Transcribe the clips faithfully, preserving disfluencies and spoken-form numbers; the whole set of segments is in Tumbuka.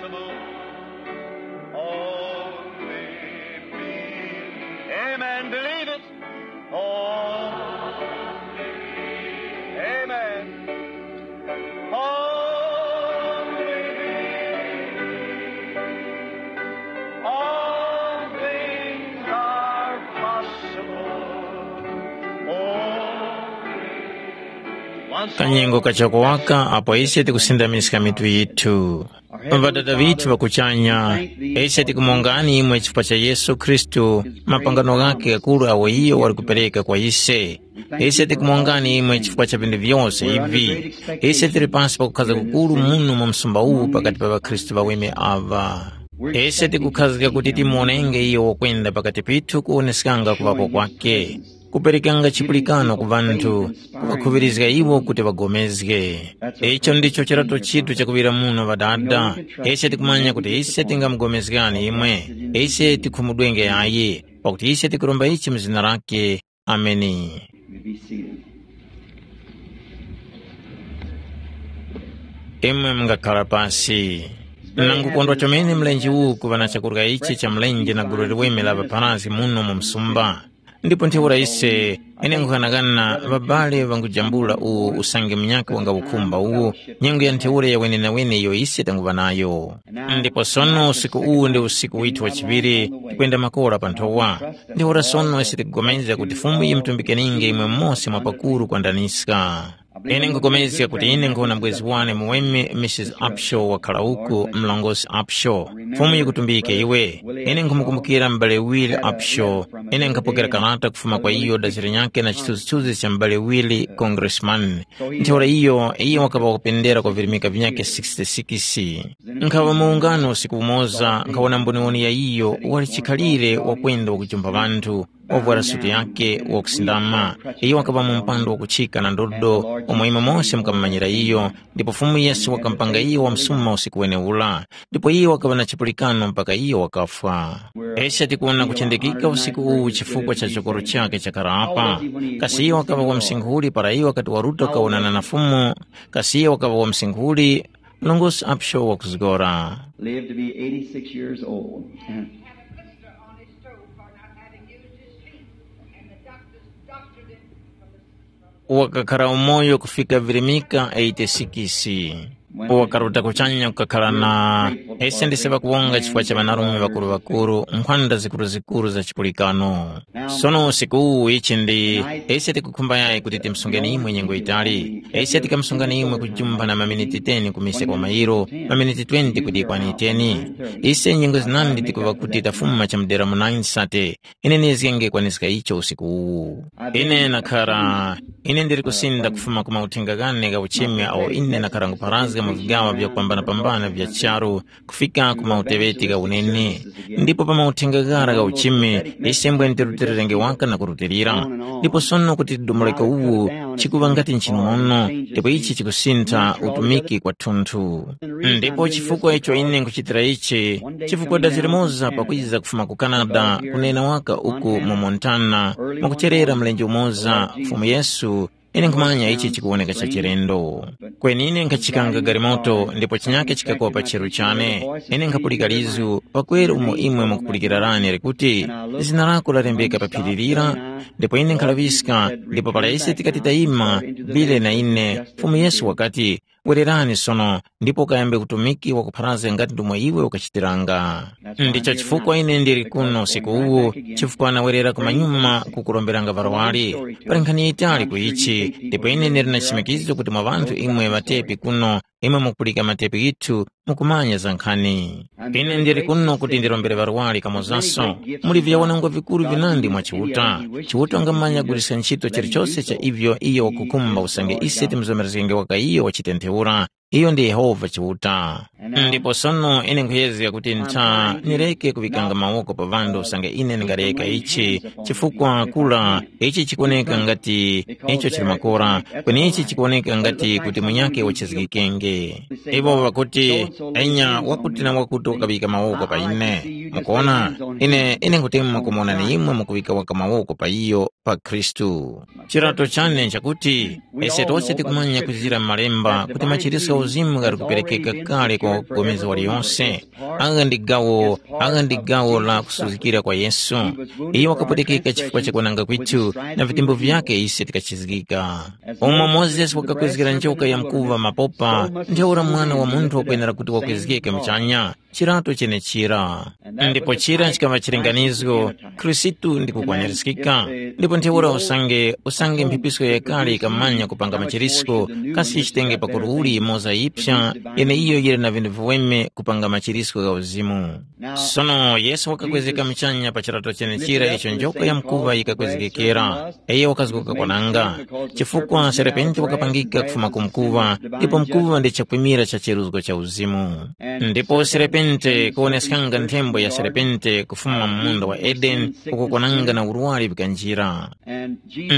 Amen. Believe it. Oh, amen. Only believe. All things are possible. Oh, kanyengo kachakowaka apo ise tikusindamiska mitu yithu. Ŵadada ŵithu ŵa kuchanya, ise tikumongani imwe chifukwa cha Yesu Khristu, mapangano ghakhe ghakuru awo iyo wali kupereka kwa ise. Ise tikumongani imwe chifukwa cha vinthu vyose ivi. Ise tili pasi pakukhaza kukuru muno mu msumba uwu pakati pa ŵakhristu ŵaweme aŵa. Ise tikukhazika kuti timuwonenge iyo wakwenda pakati pithu kuwoneskanga kuŵapo kwake, kuperekanga chipulikano ku ŵanthu, kuŵakhuŵirizga iwo kuti ŵagomezge. Icho ndicho chirato chithu chakuŵira muno ŵadada. Ise tikumanya kuti ise tingamugomezgani imwe. Ise tikhumudwenge yayi, pakuti ise tikuromba ichi mu zina lake. Ameni. You may be seated. Imwe mungakhala pasi. Nangukondwa chomene mlenje uwu kuŵa na chakurya ichi cha mlenje na gulu liweme la ŵapharazgi muno mu msumba. Ndipo ntheura ise, ine nkughanagana ŵabale ŵangujambula uwu usange munyakhe wanga ukhumba uwu, nyengo ya ntheura ya wenenawene iyo ise tanguŵa nayo. Ndipo sono usiku uwu ndi usiku withu wa chiŵiri, tikwenda makora pa nthowa. Ntheura sono ise tikupulikana kuti Fumu yimatumbikeninge imwe mose mwa pakuru kwandaniska. Ine nkhupulikana kuti ine nkhuna mbwezi wane muweme Mrs Upshaw wakhala uku, mlongosi Upshaw. Fumu yikutumbike iwe. Ine nkhumukumbukira m'bale Willie Upshaw. Ine nkhapokera karata kufuma kwa iyo dazira nyakhe na chithunzithunzi cha m'bale Willie, congressman. Ntheura iyo, iyo wakaŵa wakupendera kwa virimika vinyakhe sixty-six. Nkhaŵa mu ungano usiku umoza, nkhawona mboniwoni ya iyo wali chikhalire wakwenda wakujumba ŵanthu, wavwara suti yake wakusindama. Iyo wakaŵa mu mpando wakuchika na ndodo, umo imwe mose mukamumanyira iyo, ndipo Fumu Yesu wakamupanga iyo wamsuma usiku weneura. Ndipo iyo wakaŵa na chipulikano mpaka iyo wakafwa. Ese tikuwona kuchendekika usiku uwu chifukwa cha chokoro chake chakarapa. Kasi iyo wakaŵa wamsinkhuli para iyo wakati waruta kawonana na Fumu? Kasi iyo wakaŵa wamsinkhuli? Mlongosi Upshaw wakuzgora. Lived to be eighty-six years old. Wakakhala umoyo kufika virimika eighty-six. Wakaruta kuchanya kukakhala na ese ndise ŵakuwonga chifukwa cha ŵanarume ŵakuru-ŵakuru, nkhwanda zikuru-zikuru za chipulikano. Sono usiku uwu ichi ndi ise tikukhumba yayi kuti timsungeni imwe nyengo yitali. Ise tikamusungani imwe kujumba na maminiti ten ku mise kwa mairo, maminiti twenty kuti ikwane ten. Ise nyengo zinandi tikuŵa kuti tafuma chamudera mu nine sate. Ine nizgenge kwaniska icho usiku uwu. Ine nakhara, ine ndiri kusinda kufuma ku mauthenga ghane gha uchimi awo ine nakhara nkupharazga mu vigaŵa vyakupambana-pambana vya charu, kufika ku mauteŵeti gha unene. Ndipo pa mauthenga ghara gha uchimi, ise mbwene tirutilirenge waka na kurutilira. Ndipo sono kuti domoreka uwu chikuŵa ngati nchinono, ndipo ichi chikusintha utumiki kwathunthu. Ndipo chifukwa icho ine nkuchitira ichi, chifukwa dazi limoza pakwiza kufuma ku Canada kunena waka uku mu Montana, mwakucherera mlenje umoza, Fumu Yesu, ine nkhumanya ichi chikuwoneka cha chilendo. Kweni ine nkhachikanga galimoto ndipo chinyake chikakopa cheru chane. Ine nkhapulika lizu, pakwera umo imwe mukupulikira lane likuti, zina lako lalembeka pa phiri lira. Ndipo ine nkhalaŵiska, ndipo para ise tikati tayima, Bile na ine, Fumu Yesu wakati, wererani sono, ndipo ukayambe utumiki wakupharazga ngati ndomwe iwe ukachitiranga. Ndicho chifukwa ine ndili kuno usiku uwu, chifukwa nawerera kumanyuma kukuromberanga varwari. Pali nkhani yitali ku ichi, ndipo ine ndili na chimikizo kuti mwa ŵanthu imwe ŵatepi kuno, imwe mukupulika matepi ghithu, mukumanya za nkhani. Ine ndili kuno kuti ndirombere varwari kamozanso. Muli vyawanangwa vikuru vinandi mwa Chiuta. Chiuta wangamanya kuguliska ntchito chilichose cha ivyo iyo wakukhumba usange ise timuzomerezgenge waka iyo wachitentheura. Iyo ndi Yehova Chiuta. Ndipo sono ine nkhuyezga kuti ntha nireke kuŵikanga mawoko pa ŵanthu usange ine ndingareka ichi, chifukwa kura ichi chikuwoneka ngati icho chili makora, kweni ichi chikuwoneka ngati kuti munyakhe wachizgikenge. Iwo ŵakuti, enya wakuti na wakuti wakaŵika mawoko pa ine. Mukuona, ine ine nkutemwa kumuwonani imwe mukuŵika waka mawoko pa iyo, pa Khristu. Chirato chane nchakuti ise tose tikumanya kuzira m'malemba kuti machiritso Uzimu ngati kuperekeka kale kwa wakupulikana waliyonse. Agha ndi gawo, agha ndi gawo la kusuzgikira kwa Yesu. Iyo wakapwetekeka chifukwa cha kwananga kwithu, na vitembo vyake ise tikachizgika. Umo Mozesi wakakwezgera njoka ya mkuva mapopa, ntheura Mwana wa Munthu wakwenera kuti wakwezgeke muchanya, chirato chenechira. Ndipo chira chikaŵa chilinganizo, Khristu ndi kukwanirizgika. Ndipo ntheura usange, usange mphepisko yakale ikamanya kupanga machirisko, kasi ichitenge pakuru uli imoza yipsa, yeneiyo yili na vinthu viweme kupanga machirisko gha uzimu. Sono Yesu wakakwezeka muchanya pa chirato chenechira icho njoka ya mkuva yikakwezgekera. Iyo wakazguka kwananga, chifukwa serepenti wakapangika kufuma ku mkuva, ndipo mkuva ndi chakwimira cha cheruzgo cha uzimu. Ndipo serepenti kuwoneskanga nthembo ya serepenti kufuma mu munda wa Edeni, uko kwananga na urwari vikanjira.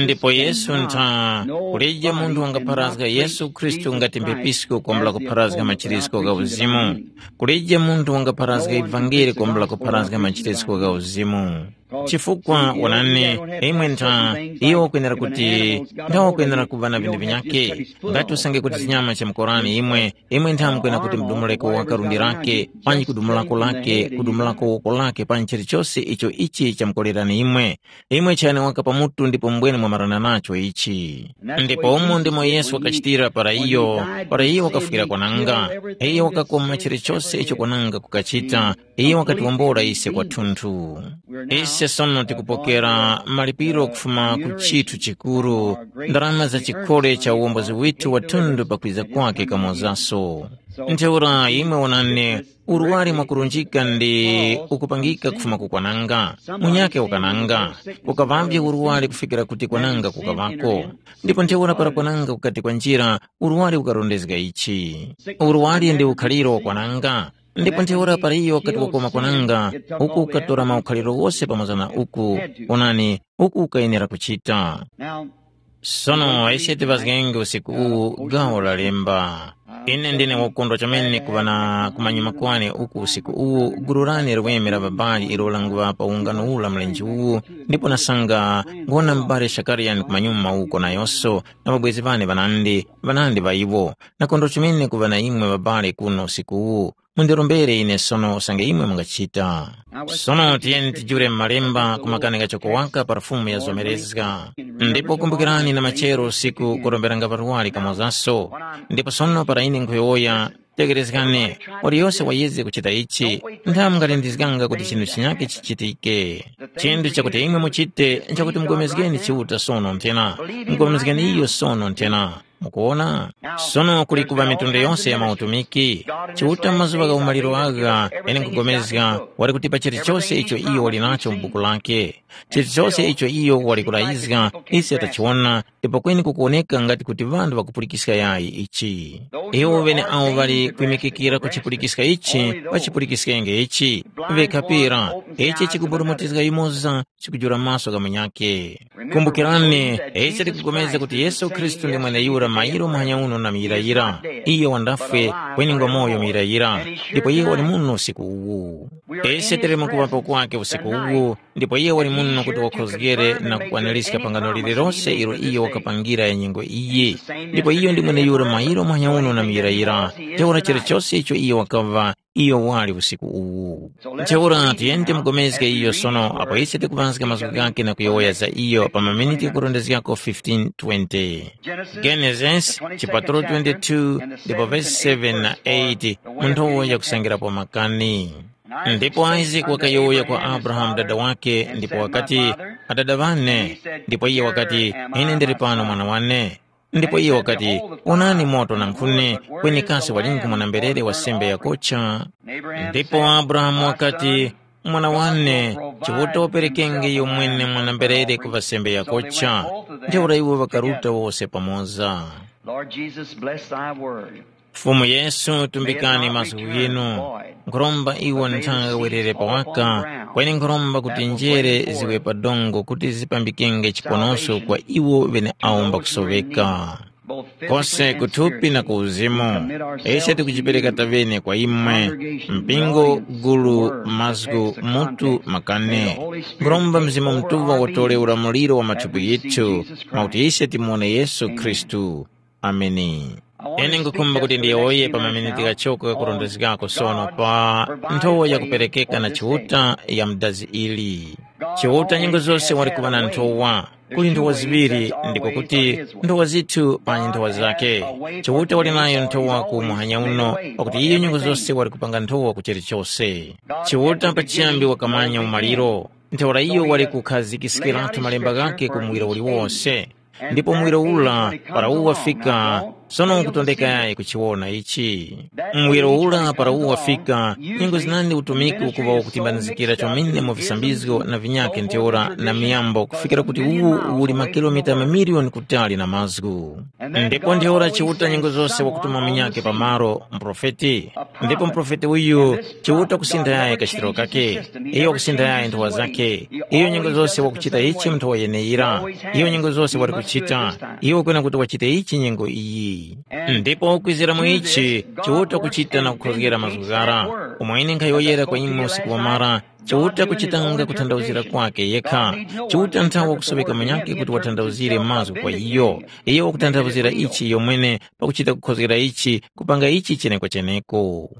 Ndipo Yesu ntha, kulije munthu wangapharazga Yesu Khristu ngati mphepisi kwambula kupharazga machirisko gha uzimu. Kulije munthu wangapharazga ivangeli kwambula kupharazga machirisko gha uzimu. Chifukwa wonani, imwe ntha, iwo wakwenera kuti, ntha wakwenera kuva na vinthu vinyake. Ngati usange kuti chinyama cha mkorani imwe, imwe ntha mukwena kuti mudumuleko waka lundi lake, panji kudumulako lake, kudumulako woko lake, panji chilichose icho ichi chamkolerani imwe. Imwe chani waka pamutu ndipo mbwene mwamarana nacho ichi. Ndipo umo ndimo Yesu wakachitira para iyo, para iyo wakafwira kwananga. Iyo wakakoma chilichose icho kwananga kukachita, iyo wakatiwombora ise kwathunthu. Ise sono tikupokera malipiro kufuma ku chithu chikuru, ndarama za chikhole cha uwombozi withu wathundu pakwiza kwake kamozaso. Ntheura imwe wonani, urwari mwakurunjika ndi ukupangika kufuma ku kwananga, munyake wakananga, kukaŵavye urwari kufikira kuti kwananga kukaŵako. Ndipo ntheura para kwananga kukati kwanjira, urwari ukarondezga ichi. Urwari ndi ukhaliro wa kwananga. Ndipo ntheura para iyo wakati wakoma kwananga, uku ukatora maukhaliro wose pamoza na uku, onani, uku ukayenera kuchita. Sono ise tivazgenge usiku uwu gawo la lemba. Ine ndine wakondwa chomene kuŵa na kumanyuma kwane uku usiku uwu, gulu lane liweme la ŵabali ilo languŵa pa ungano ula mlenje uwu, ndipo nasanga ngwona m'bale Shakariani kumanyuma uko nayonso, na ŵabwezi ŵane ŵanandi, ŵanandi ŵa iwo. Nakondwa chomene kuŵa na imwe ŵabale kuno usiku uwu. Mundirombere ine sono usange imwe mungachita. Sono tiyeni tijule m'malemba ku makani ghachoko waka pa Fumu ya zomerezga. Ndipo kumbukirani na machero usiku kuromberanga ŵarwari kamozaso. Ndipo sono para ine nkhuyowoya, tekerezgani, waliyose wayeze kuchita ichi, ntha mungalindizganga kuti chinthu chinyake chichitike. Chinthu chakuti imwe muchite nchakuti mugomezgeni Chiuta sono nthena. Mugomezgeni iyo sono nthena. Mukuwona? Sono kuli kuŵa mitundu yonse ya mautumiki. Chiuta mu mazuŵa gha umaliro agha ine nkugomezga wali kutipa chilichose icho iyo wali nacho mu buku lake. Chilichose icho iyo wali kulayizga, ise tachiwona, ndipo kweni kukuwoneka ngati kuti ŵanthu ŵakupulikiska yayi ichi. Iwo ŵene awo ŵali kwimikikira kuchipulikiska ichi, ŵachipulikiskenge ichi, ŵekhapira, ichi chikuburumutizga yumoza, chikujula maso gha munyakhe. Kumbukirani, ise tikupulikana kuti Yesu Khristu ndi mweneyura mairo muhanya uno na muyirayira. Iye wandafwe, kweni ngwa moyo muyirayira, ndipo iye wali muno usiku uwu. Ise tili mu kuŵapo kwake usiku uwu, ndipo iye wali muno kuti wakhozgere na kukwanirizga pangano lililose ilo iye wakapangira ya nyengo iyi. Ndipo iyo ndi mweneyura mairo muhanya uno na muyirayira, ntheura chilichose icho iye wakaŵa, iyo wali usiku uwu. Ntheura tiyeni timugomezge iyo sono apo ise tikuŵazga mazgu ghakhe na kuyowoya za iyo pa maminiti kurondezgako fifteen twenty. Genesis chipatulo twenty-two ndipo vesi seven na eight, mu nthowa yakusangirapo makani. Ndipo Isaac wakayowoya kwa Abrahamu dada wake ndipo wakati, "Adada ŵane," ndipo iye wakati, "Ine ndili pano mwana wane." Ndipo iye wakati, "Onani moto na nkhuni, kweni kasi walingu mwana-mberere wa sembe yakocha?" Ndipo Abrahamu wakati, "Mwana wane, Chiuta waperekenge iyo mwene mwana-mberere kuŵa sembe yakocha." Ntheura iwo ŵakaruta wose pamoza. Lord Jesus, bless thy word. Fumu Yesu, tumbikani mazgu ghinu. Nkhuromba iwo nthanga werere pawaka, kweni nkhuromba kuti njere ziwe pa dongo kuti zipambikenge chiponoso kwa iwo ŵene awo mbakusoweka. Kose kuthupi na ku uzimu, ise tikujipereka taŵene kwa imwe, mpingo, gulu, mazgu, mutu, makani. Nkhuromba Mzimu Mutuŵa watore ulamuliro wa mathupi ghithu, mwakuti ise timuwone Yesu Khristu. Ameni. Ine ngukhumba kuti ndiyowoye pa maminiti ghachoko ghakurondezgako sono pa nthowa yakuperekeka na Chiuta ya mudazi ili. Chiuta nyengo zose wali kuŵa na nthowa. Kuli nthowa ziŵiri, ndiko kuti nthowa zithu panyi nthowa zake. Chiuta wali nayo nthowa ku muhanya uno, pakuti iyo nyengo zose wali kupanga nthowa ku chilichose. Chiuta pachiyambi wakamanya umaliro. Ntheura iyo wali kukhazikiskiratu malemba ghake ku muwiro uliwose. Ndipo muwiro ura para uwo wafika, sono nkutondeka yayi kuchiwona ichi. Muwiro ura para uwo wafika, nyengo zinandi utumiki ukuŵa wakutimbanizikira chomene mu visambizgo na vinyakhe ntheura na miyambo kufikira kuti uwu uli makilomita mamiliyoni kutali na mazgu. Ndipo ntheura Chiuta nyengo zose wakutuma munyakhe pamalo, muprofeti. Ndipo muprofeti uyu Chiuta kusintha yaye kachitiro kake. Iyo wakusintha yaye nthowa zakhe. Iyo nyengo zose wakuchita ichi mu nthowa yeneyira. Iyo nyengo zose wali kuchita. Iyo wakwena kuti wachite ichi nyengo iyi. Ndipo kwizira mu ichi, Chiuta kuchita na kukhozgera mazgu ghara. Umo ine nkhayowoyera kwa imwe usiku wamara, Chiuta kuchitanga kuthandauzira kwake yekha. Chiuta nthawe wakusoweka munyakhe kuti wathandauzire mazgu kwa iyo. Iyo wakutanthauzira ichi iyo mwene pakuchita kukhozgera ichi, kupanga ichi chenekocheneko.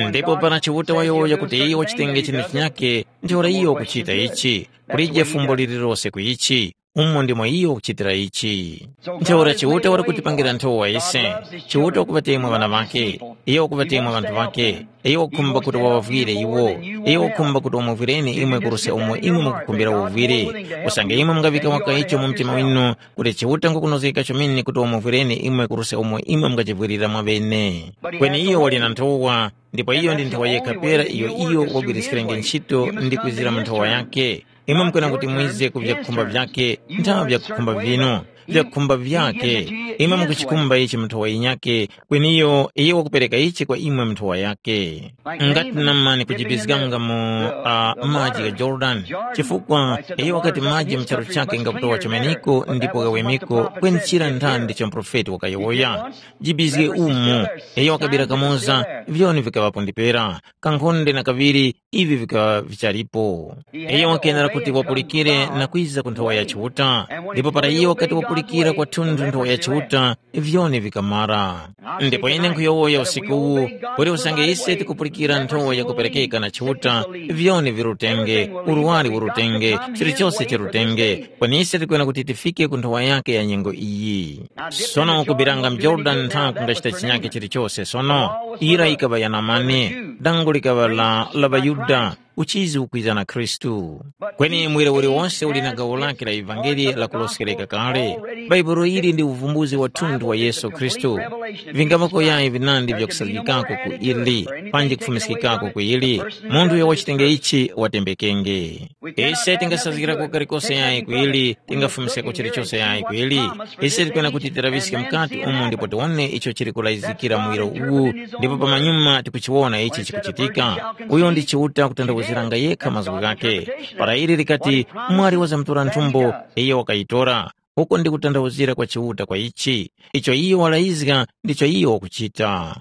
Ndipo para Chiuta wayowoya kuti iyo wachitenge chine chinyakhe, ntheura iyo wakuchita ichi. Kulije fumbo lililose ku ichi. Umo ndimo iyo wakuchitira ichi. Ntheura Chiuta wali kutipangira nthowa ise. Chiuta wakuŵatemwa ŵana ŵake. Iyo wakuŵatemwa ŵanthu ŵake. Iyo wakukhumba kuti waŵavwire iwo. Iyo wakukhumba kuti wamuvwireni imwe kuruse umo imwe mukukhumbira uvwire. Usange imwe mungaŵika waka icho mu mtima winu, kuti Chiuta ngukunozgeka chomene kuti wamuvwireni imwe kuruse umo imwe mungachivwirira mwaŵene. Kweni iyo wali na nthowa, ndipo iyo ndi nthowa yekha pera iyo iyo wagwiriskirenge ntchito ndi kwizira mu nthowa yake. Imwe mukwena kuti mwize ku vyakukhumba vyake, nthawe vyakukhumba vinu, vyakukhumba vyake. Imwe mukuchikhumba ichi mu nthowa yinyake, kweni iyo, iyo wakupereka ichi kwa imwe mu nthowa yake. Ngati namani kujibizganga mu uh, maji gha Jordan, chifukwa iyo wakati maji mu charu chake ngakutowa chomeneko ndipo ghawemeko, kweni chira nthani ndicho mprofeti wakayowoya. Jibizge umu, iyo wakabira kamoza, vyoni vikaŵapo ndipera, kankhonde na kaŵiri, ivi vikaŵa vichalipo. Iyo wakenera kuti wapulikire na kwiza ku nthowa ya Chiuta, ndipo para iyo wakati wapulikira kwathunthu nthowa ya Chiuta, vyoni vikamara. Ndipo ine nkhuyowoya usiku uwu, kuti usange ise tikupulikira nthowa yakuperekeka na Chiuta, vyoni virutenge, urwari urutenge, chilichose chirutenge, kweni ise tikwena kuti tifike ku nthowa yake ya nyengo iyi. Sono kubiranga mu Jorodani ntha kungachita chinyake chilichose sono, ira yikaŵa ya namani, dango likaŵa la, la ŵaYuda, uchizi ukwiza na Khristu. Kweni mwere uliwonse uli na gawo lake la ivangeli lakuloskereka kale. Bhaibuli ili ndi uvumbuzi wa thunthu wa Yesu Khristu. Vingamako yayi vinandi vyakusazgikako ku ili, panji kufumiskikako ku ili, munthu uyo wachitenge ichi watembekenge. Ise tingasazgirako kalikose yayi ku ili, tingafumiskako chilichose yayi ku ili. Ise tikwena kuti tilaŵiske mukati umu ndipo tiwone icho chili kulayizikira muwiro uwu, ndipo pamanyuma tikuchiwona ichi chikuchitika. Uyo ndi Chiuta kutanthauziranga yekha mazgu ghake. Para ili likati, mwali wazamtora nthumbo, iyo wakayitora. Uko ndi kutanthauzira kwa Chiuta kwa ichi, icho iyo walayizga ndicho iyo wakuchita.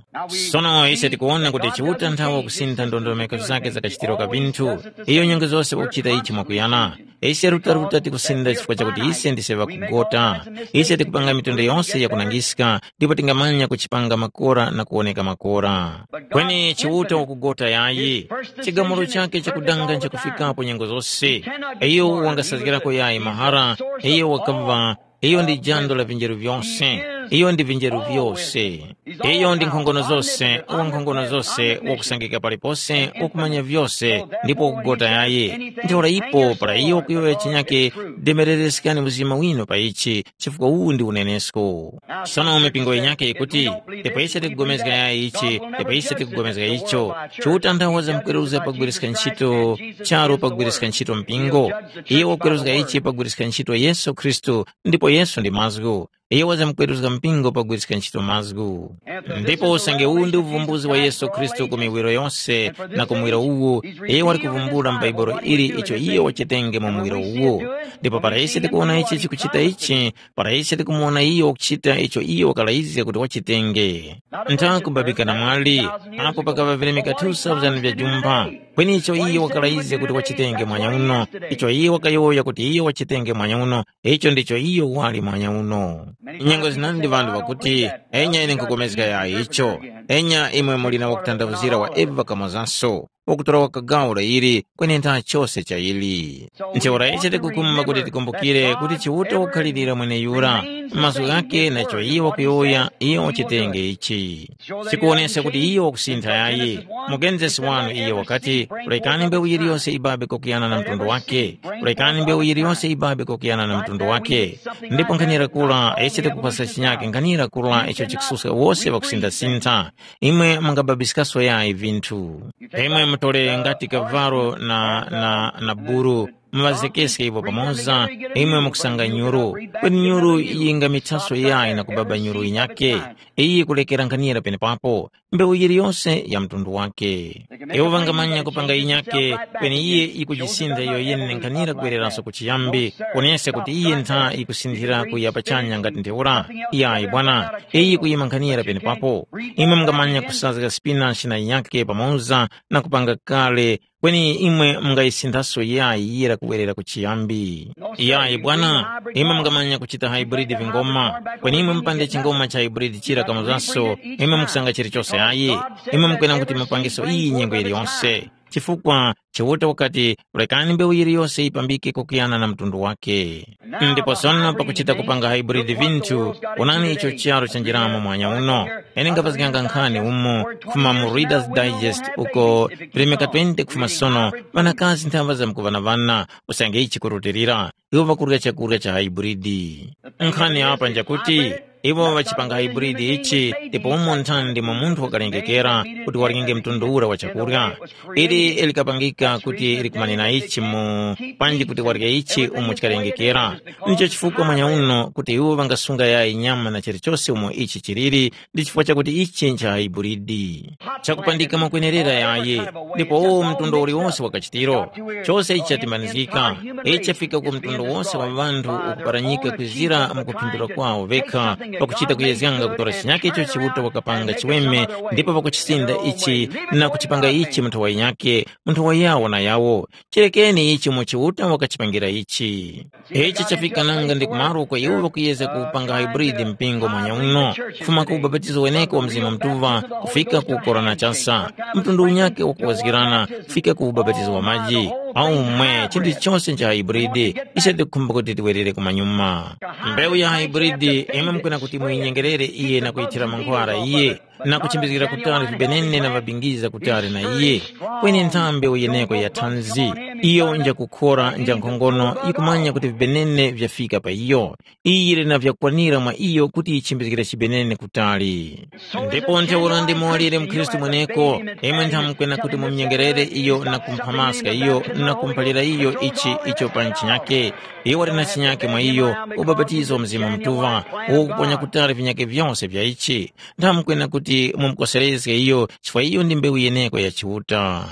Sono ise tikuwona kuti Chiuta nthawe wakusintha ndondomeko zake za kachitiro ka vinthu, iyo nyengo zose wakuchita ichi mwakuyana. Ise rutaruta tikusenda chifukwa chakuti ise ndise ŵakugota. Ise tikupanga mitundu yonse yakunangiska, ndipo tingamanya kuchipanga makora na kuwoneka makora. Kweni Chiuta wakugota yayi. Chigamulo chake chakudanga nchakufikapo nyengo zose. Iyo wangasazgirako yayi mahara, iyo wakava, iyo ndi jando la vinjeru vyose, iyo ndi vinjeru vyose. Iyo ndi nkhongono zose, wa nkhongono zose, wakusangika palipose, wakumanya vyose, ndipo wakugota yayi. Ntheura ipo para iyo kuyowoya chinyake, demerereskani mzima winu pa ichi, chifukwa uwu ndi unenesko. Sono mipingo yinyakhe yikuti, ndipo ise tikupulikana yayi ichi, ndipo ise tikupulikana icho. Chiuta nthawe wazamkweruza pagwiriska ntchito charu pagwiriska ntchito mpingo. Iye wakweruska ichi pagwiriska ntchito Yesu Khristu, ndipo Yesu ndi mazgu. Iye wazamkweruska mpingo pagwiriska ntchito mazgu. Ndipo usange uwu ndi uvumbuzi wa Yesu Khristu ku miwiro yose, na ku muwiro uwu, iye wali kuvumbula m'Baibulo ili icho iye wachitenge mu muwiro uwu. Ndipo para ise tikuwona ichi chikuchita ichi, para ise tikumuwona iyo wakuchita icho iyo wakalayizga kuti wachitenge. Nthakubabika na mwali, apo pakaŵa vilemeka two thousand vya jumpha, Kweni icho iye wakalayizga kuti wachitenge mwanya uno, icho iye wakayowoya kuti iye wachitenge mwanya uno, icho ndicho iyo wali mwanya uno. Nyengo zinandi ŵanthu ŵakuti, enya ine nkhupulikana yayi icho. Enya imwe muli na wakutanthauzira wa Eva kamozanso, wakutora wakagaula ili, kweni ntha chose cha ili. Ntheura ichi tikukumba kuti tikumbukire kuti Chiuta wakhalirira mweneyura, mazgu ghake na icho iye wakuyowoya, iyo wachitenge ichi. Sikuwoneska kuti iyo wakusintha yayi. Mugenzesi wanu iyo wakati, rekani mbewu yiliyose ibabe kwakuyana na mtundu wake. Rekani mbewu yiliyose ibabe kwakuyana na mtundu wake. Ndipo nkhanira kula ese tikupasa chinyake nkhanira kula icho chikususka wose ŵakusintha-sintha. Imwe mungababiskaso yayi vinthu. Imwe mutole ngati kavalo na, na, na buru, muŵazekeske iwo pamoza, imwe mukusanga nyuru. Kweni nyuru yingamithaso yayi na kubaba nyuru yinyake. Iyi kulekera nkhanira penepapo, mbewu yiliyose ya mtundu wake. Iwo ŵangamanya kupanga yinyake, kweni iye yikujisintha iyo yene nkhanira kubwereranso ku chiyambi, kuneska kuti iye ntha yikusinthira kuya pachanya ngati ntheura. Iyayi bwana, iyi kuyima nkhanira penepapo. Imwe mungamanya kusazga spinachi na yinyake pamoza na kupanga kale, kweni imwe mungayisinthaso yayi yira kubwerera ku chiyambi. Iyayi bwana, imwe mungamanya kuchita hybrid vingoma, kweni imwe mupande chingoma cha hybrid chira kamozaso, imwe mukusanga chilichose ayi. Imwe mukwena kuti mupangeso iyi nyengo yiliyonse. Chifukwa Chiuta wakati, rekani mbewu yiliyose yipambike kwakuyana na mtundu wake. Ndipo sono pakuchita kupanga hybrid vinthu, onani icho charu chanjiramo mwanya uno. Ine ngapazganga nkhani umo kufuma mu Reader's Digest uko, vilemeka twenty kufuma sono, ŵanakazi nthamba zamkuŵanaŵana, usange ichi kurutilira, iwo ŵakurya chakurya cha hybrid. Nkhani apa njakuti, iwo ŵachipanga hybrid ichi, ndipo umo nthani ndimo munthu wakalengekera kuti warenge mtundu ura wa chakurya. Ili likapangika kuti likumanena ichi mu panji kuti warye ichi umo chikalengekera. Ndicho chifukwa mwanya uno kuti iwo ŵangasunga yayi nyama na chilichose umo ichi chiliri, ndi chifukwa chakuti ichi ncha hybrid. Chakupandika mwakwenerera yayi, ndipo uwo mtundu uliwonse wa kachitiro, chose ichi chatimanizgika. Ichi chafika ku mtundu wose wa ŵanthu ukuparanyika kwizira mu kuphindula kwawo vekha, pakuchita kuyezganga kutora chinyake icho Chiuta wakapanga chiweme, ndipo pakuchisinda ichi na kuchipanga ichi mu nthawa yinyake, mu nthawa yawo na yawo. Chirekeni ichi mu Chiuta wakachipangira ichi. Ichi chafika nanga ndi kumaro kwa iwo ŵakuyezga kupanga hybrid mpingo mwanya uno, kufuma ku ubapatizo weneko wa Mzimu Mutuŵa kufika ku korona chasa, mtundu unyakhe wakuwazgirana kufika ku ubapatizo wa maji. Aumwe chinthu chilichonse ncha hybrid, ise tikukhumba kuti tiwerere kumanyuma. Mbewu ya hybrid imwe mukwena kuti muyinyengerere iye na kuyithira mankhwara iye, na kuchimbizgira kutali vibenene na ŵabingiza kutali na iye. Kweni nthambi uyeneko ya thanzi, iyo njakukhora nja nkhongono yikumanya kuti vibenene vyafika pa iyo. Iyi yili na vyakwanira mwa iyo kuti yichimbizgire chibenene kutali. Ndipo ntheura ndimo walire mkhristu mweneko, imwe nthamukwena kuti mumnyengerere iyo na kumphamaska iyo na kumphalira iyo ichi icho pa nchinyake. Iyo wali na chinyake mwa iyo, ubapatizo wa Mzimu Mutuŵa, uwo ukuponya kutali vinyake vyose vya ichi. Nthamukwena kuti mumukoserezge iyo, chifukwa iyo ndi mbewu yeneko ya Chiuta.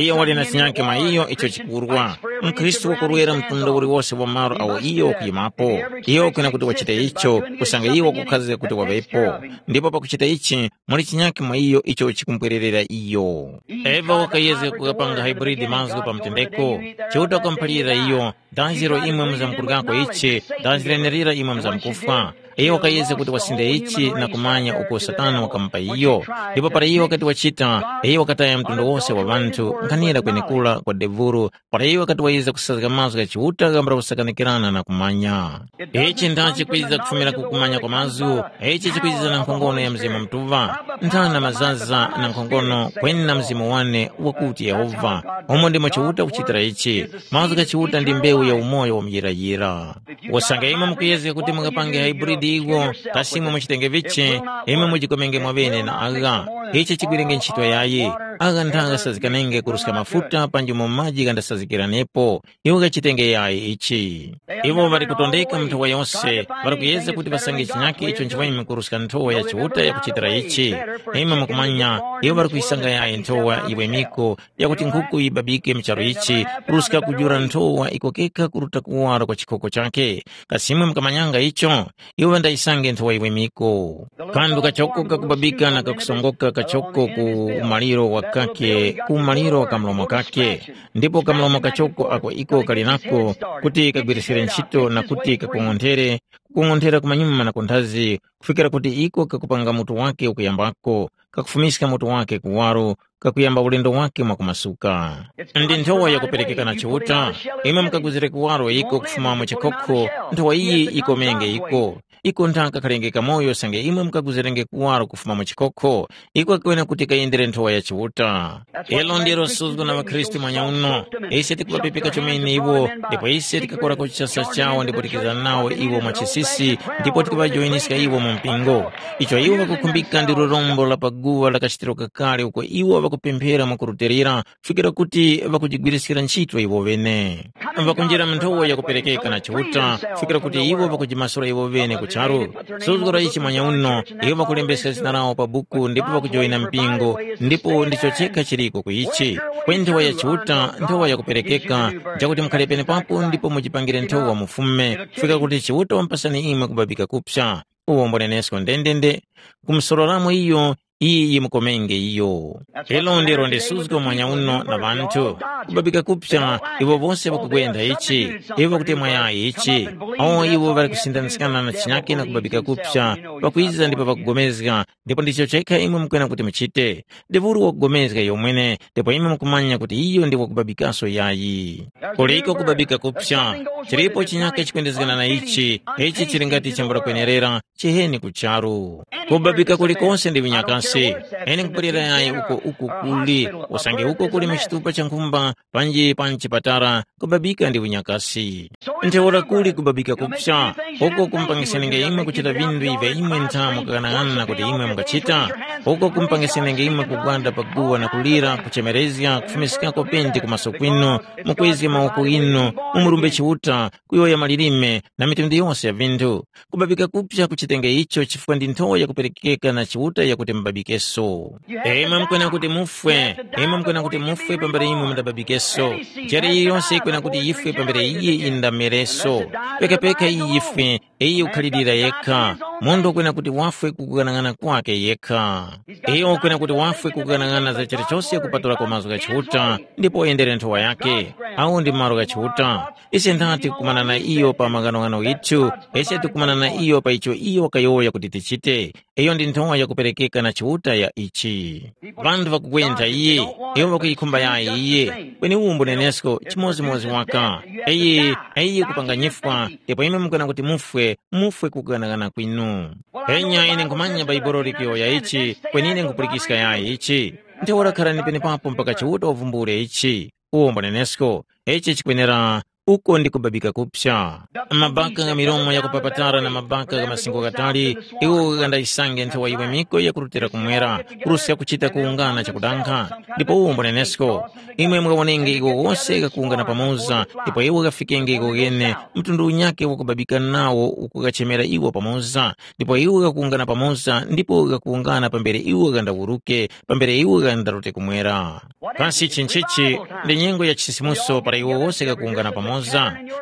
Iyo wali na chinyake mwa iyo icho chikurwa. Mkhristu wakurwera mtundu uliwose wa malo awo iyo wakuyimapo. Iyo wakwena kuti wachite icho, kusanga iyo wakukhazika kuti waŵepo. Ndipo pakuchita ichi, muli chinyake mwa iyo icho chikumpwererera iyo. Eva wakayezga kukapanga hybrid mazgu pa mtendeko. Chiuta wakamuphalira iyo, daziro imwe muzamkuryako ichi, daziro lenelira imwe muzamkufwa. Iyo wakayezga kuti wasinde ichi na kumanya uko Satana wakamupa iyo. Ndipo para iyo wakati wachita, iyo wakataya mtundu wose wa ŵanthu, nkhanira kwenekura kwa devuru, para iyo wakati wayezga kusazga mazgu gha Chiuta ghambula kusakanikirana na kumanya. Ichi ndachi kwiza kufumira ku kumanya kwa mazgu, ichi chikwiza na nkhongono ya Mzimu Mutuŵa, nthana mazaza na nkhongono kweni na mzimu wane wakuti Yehova. Umo ndimo Chiuta kuchitira ichi. Mazgu gha Chiuta ndi mbewu ya umoyo wa muyirayira. Usange imwe mukuyezga kuti mungapange hybrid iwo, kasi imwe muchitenge vichi, imwe mujikomenge mwaŵene na agha. Ichi chigwirenge ntchito yayi. Agha ndagha ghasazikanenge kuruska mafuta panji mu maji ghandasazikiranepo. Iwo ghachitenge yayi ichi. Iwo ŵali kutondeka mu nthowa yose, ŵali kuyezga kuti ŵasange chinyake icho nchiŵeme kuruska nthowa ya Chiuta yakuchitira ichi. Imwe mukumanya, iwo ŵali kuyisanga yayi nthowa yiŵemeko, yakuti nkhuku yibabike mu charu ichi, kuruska kujula nthowa iko kekha kuruta kuwara kwa chikhoko chakhe. Kasi imwe mukamanyanga icho? Iwo ŵandayisange nthowa yiwemiko. Kanthu kachoko kakubabika na kakusongoka kachoko ku umaliro wa kake ku maliro ka mlomo kake, ndipo kamlomo kachoko ako iko kali nako kuti kagwiriskire ntchito na kuti kakung'onthere, kukung'onthera kumanyuma na kunthazi, kufikira kuti iko kakupanga mutu wake ukuyambako, kakufumiska mutu wake kuwaro, kakuyamba ulendo wake mwakumasuka. Ndi nthowa yakuperekeka na Chiuta, imwe mukaguzire kuwaro iko kufuma mu chikhokho, nthowa iyi ikomenge iko. Iko nthaka kalenge kamoyo sange imwe mukaguzirenge kuwaro kufuma mu chikhokho, iko kakwene kuti kayendere nthowa ya Chiuta. Ilo ndilo suzgo na ŵakhristu mwanyauno. Ise tikubapepeka chomene iwo, ndipo ise tikakora ku chisa chawo ndipo tikizana nawo iwo mwa chisisi, ndipo tikuŵajoyeniska iwo mu mpingo. Icho iwo ŵakukhumbika ndi lurombo la paguwa la kachitiro kakale uko iwo ŵakupemphera mwakurutilira, kufikira kuti ŵakujigwiriskira ntchito iwo ŵene. Ŵakunjira mu nthowa yakuperekeka na Chiuta, kufikira kuti iwo ŵakujimasula iwo ŵene ku charu. Suzgo la ichi mwanyauno, iwo ŵakulembeska zina lawo pa buku ndipo ŵakujoyina mpingo, ndipo ndicho chekha chiliko ku ichi. Kweni nthowa ya Chiuta, nthowa yakuperekeka, nchakuti mukhale penepapo ndipo mujipangire nthowa mufume, kufikira kuti Chiuta wampasani imwe kubabika kupsa. Uwo mbunenesko ndendende, kumusororamo iyo, iyi yimukomenge iyo. Ilo ndilo ndisuzgo mwanya uno na ŵanthu. Kubabika kupsa, iwo wose ŵakugwenda ichi, iwo ŵakutemwa yayi ichi. Awo iwo ŵali kusindaniskana na chinyake na kubabika kupsa, ŵakwiza ndipo ŵakugomezga, ndipo ndicho chekha imwe mukwena kuti muchite. Ndi uli wakugomezga iyo mwene, ndipo imwe mukumanya kuti iyo ndi wakubabikaso yayi. Kuliko kubabika kupsa, chilipo chinyake chikwendezgana na ichi, ichi chili ngati chambula kwenerera, chiheni ku charu. Kubabika kulikonse ndi vinyakasi. Ine nkupulira yayi uko uku kuli, usange uko kuli mu chitupa cha nkhumba, panji pa mchipatala, kubabika ndi vinyakasi. Ntheura kuli kubabika kupsa, uko kumpangisenenge imwe kuchita vinthu ivyo imwe ntha mukaghanag'ana kuti imwe mungachita, uko kumpangisenenge imwe kugwada pa guwa na kulira, kuchemerezga, kufumiskako penti ku maso kwinu, mukwezge mawoko inu, mumurumbe Chiuta, kuyowoya malilime, na mitundu yose ya vinthu. Kubabika kupsa kuchitenge icho chifukwa ndi nthowa yakuperekeka na Chiuta yakuti mubabikeso. Imwe mukwena kuti mufwe, imwe mukwena kuti mufwe pambere imwe mundababikeso. Njere yiliyonse yikwena kuti yifwe pambere iye indamereso. Pekapeka iyi yifwe, iyi ukhalirira yekha. Munthu ukwena kuti wafwe kukughanag'ana kwake yekha. Iyo ukwena kuti wafwe kukughanag'ana za chilichose kupatulako mazgu gha Chiuta, ndipo uyendere nthowa yake. Awo ndi malo gha Chiuta. Ise nthati kukumana na iyo pa maghanoghano ghithu, ise tikumana na iyo pa icho iyo wakayowoya kuti tichite. Iyo ndi nthowa yakuperekeka na Chiuta ya ichi. Vanthu ŵakugwentha iye, iwo ŵakuyikhumba yayi iye. Kweni uwu mbunenesko chimodzimodzi waka. Eye, eye kupanga nyifwa, ndipo imwe mukana kuti mufwe, mufwe kukanaghana kwinu. Enya ine nkhumanya Baibolo likuyowoya ichi, kweni ine nkhupulikiska yayi ichi. Ntheura kharani penepapo mpaka Chiuta wavumbule ichi. Uwo mbunenesko, ichi chikwenera uko ndi kubabika kupsa. Mabaka gha milomo yakupapatara na mabaka gha masingo ghatali, iwo ghandayisange nthowa yiwemiko yakurutira kumwera, kuruska kuchita kuwungana chakudankha. Ndipo uwo mbunenesko, imwe mungawonenge iwo wose ghakuwungana pamoza, ndipo iwo ghafikenge iwo ghene, mtundu unyakhe wakubabika nawo ukugachemera iwo pamoza, ndipo iwo ghakuwungana pamoza, ndipo ghakuwungana pambere iwo ghandawuruke, pambere iwo ghandarute kumwera. Kasi ichi nchichi ndi nyengo ya chisisimuso para iwo wose ghakuwungana pamoza?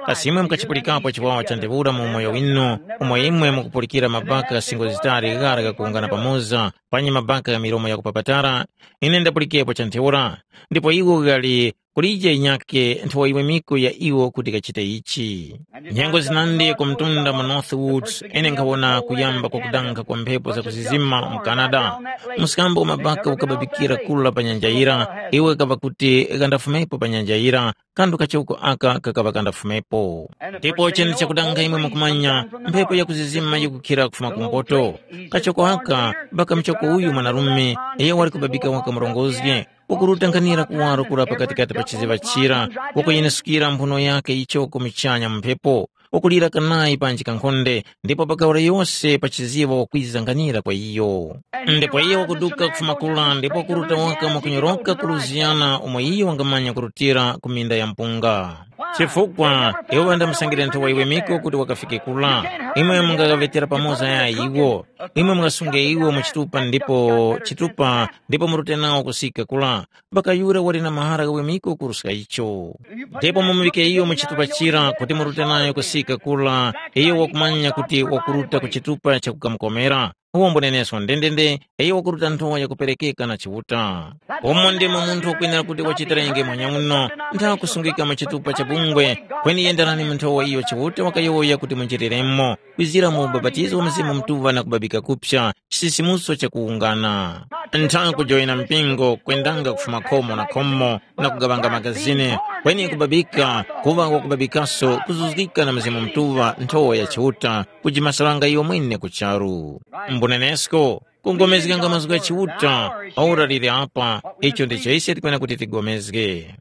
Kasi imwe mukachipulikapo chiwawa cha ntheura mu umoyo winu, umo imwe mukupulikira mabaka gha singo zitali ghara ghakuwungana pamoza, panyi mabaka gha milomo yakupapatara? Ine ndapulikepo cha ntheura, ndipo iwo ghali kulije inyake nthowa yiwemiko ya iwo kuti ghachite ichi. Nyengo zinandi ku mtunda mu Northwoods, ine nkhawona kuyamba kwa kudankha kwa mphepo zakuzizima mu Canada. Mskambo wa mabaka ukababikira kula pa nyanja yira, iwo ghakaŵa kuti ghandafumepo pa nyanja yira, kanthu kachoko aka kakaŵa kandafumepo. Ndipo chene chakudankha imwe mukumanya, mphepo yakuzizima yikukhira kufuma kumpoto. Kachoko aka, baka mchoko uyu mwanarume, iyo wali kubabika waka murongozge, wakuruta nkhanira kuwaro kura pakatikati pa chiziŵa chira, wakuyenesukira mphuno yake yichoko muchanya mu mphepo, wakulira kanayi panji kankhonde, ndipo pakaura yose pa chiziŵa wakwiza nkhanira kwa iyo. Ndipo iyo wakuduka kufuma kura ndipo wakuruta waka mwakunyoroka ku Lusiyana umo iyo wangamanya kurutira ku minda ya mpunga. Chifukwa iwo ŵandamusangire nthowa yiwemiko kuti wakafike kura. Imwe mungaghaŵetera pamoza yayi iwo. Imwe mungasunge iwo mu chitupa ndipo chitupa ndipo murute nawo kusika kura. Mpaka yura wali na mahara ghawemiko kuruska icho. Ndipo mumuŵike iyo mu chitupa chira kuti murute nayo kusika kura, iyo wakumanya kuti wakuruta ku chitupa chakukamukomera. Uwo mbunenesko ndendende, iyo wakuruta nthowa yakuperekeka na Chiuta. Umo ndimo munthu wakwenera kuti wachitirenge mwanyauno, ntha kusungika mu chitupa cha bungwe, kweni yenderani mu nthowa iyo Chiuta wakayowoya kuti munjiriremo, kwizira mu ubapatizo wa Mzimu Mutuŵa na kubabika kupsa, chisisimuso cha kuwungana. Ntha kujoyina mpingo, kwendanga kufuma khomo na khomo, na kugaŵanga magazini, kweni kubabika, kuŵa wakubabikaso, kuzuzgika na Mzimu Mutuŵa, nthowa ya Chiuta, kujimasalanga iwe mwene ku charu. Mbunenesko, kugomezganga mazgu gha Chiuta, ora liri apa, icho ndicho ise tikwena kuti tigomezge.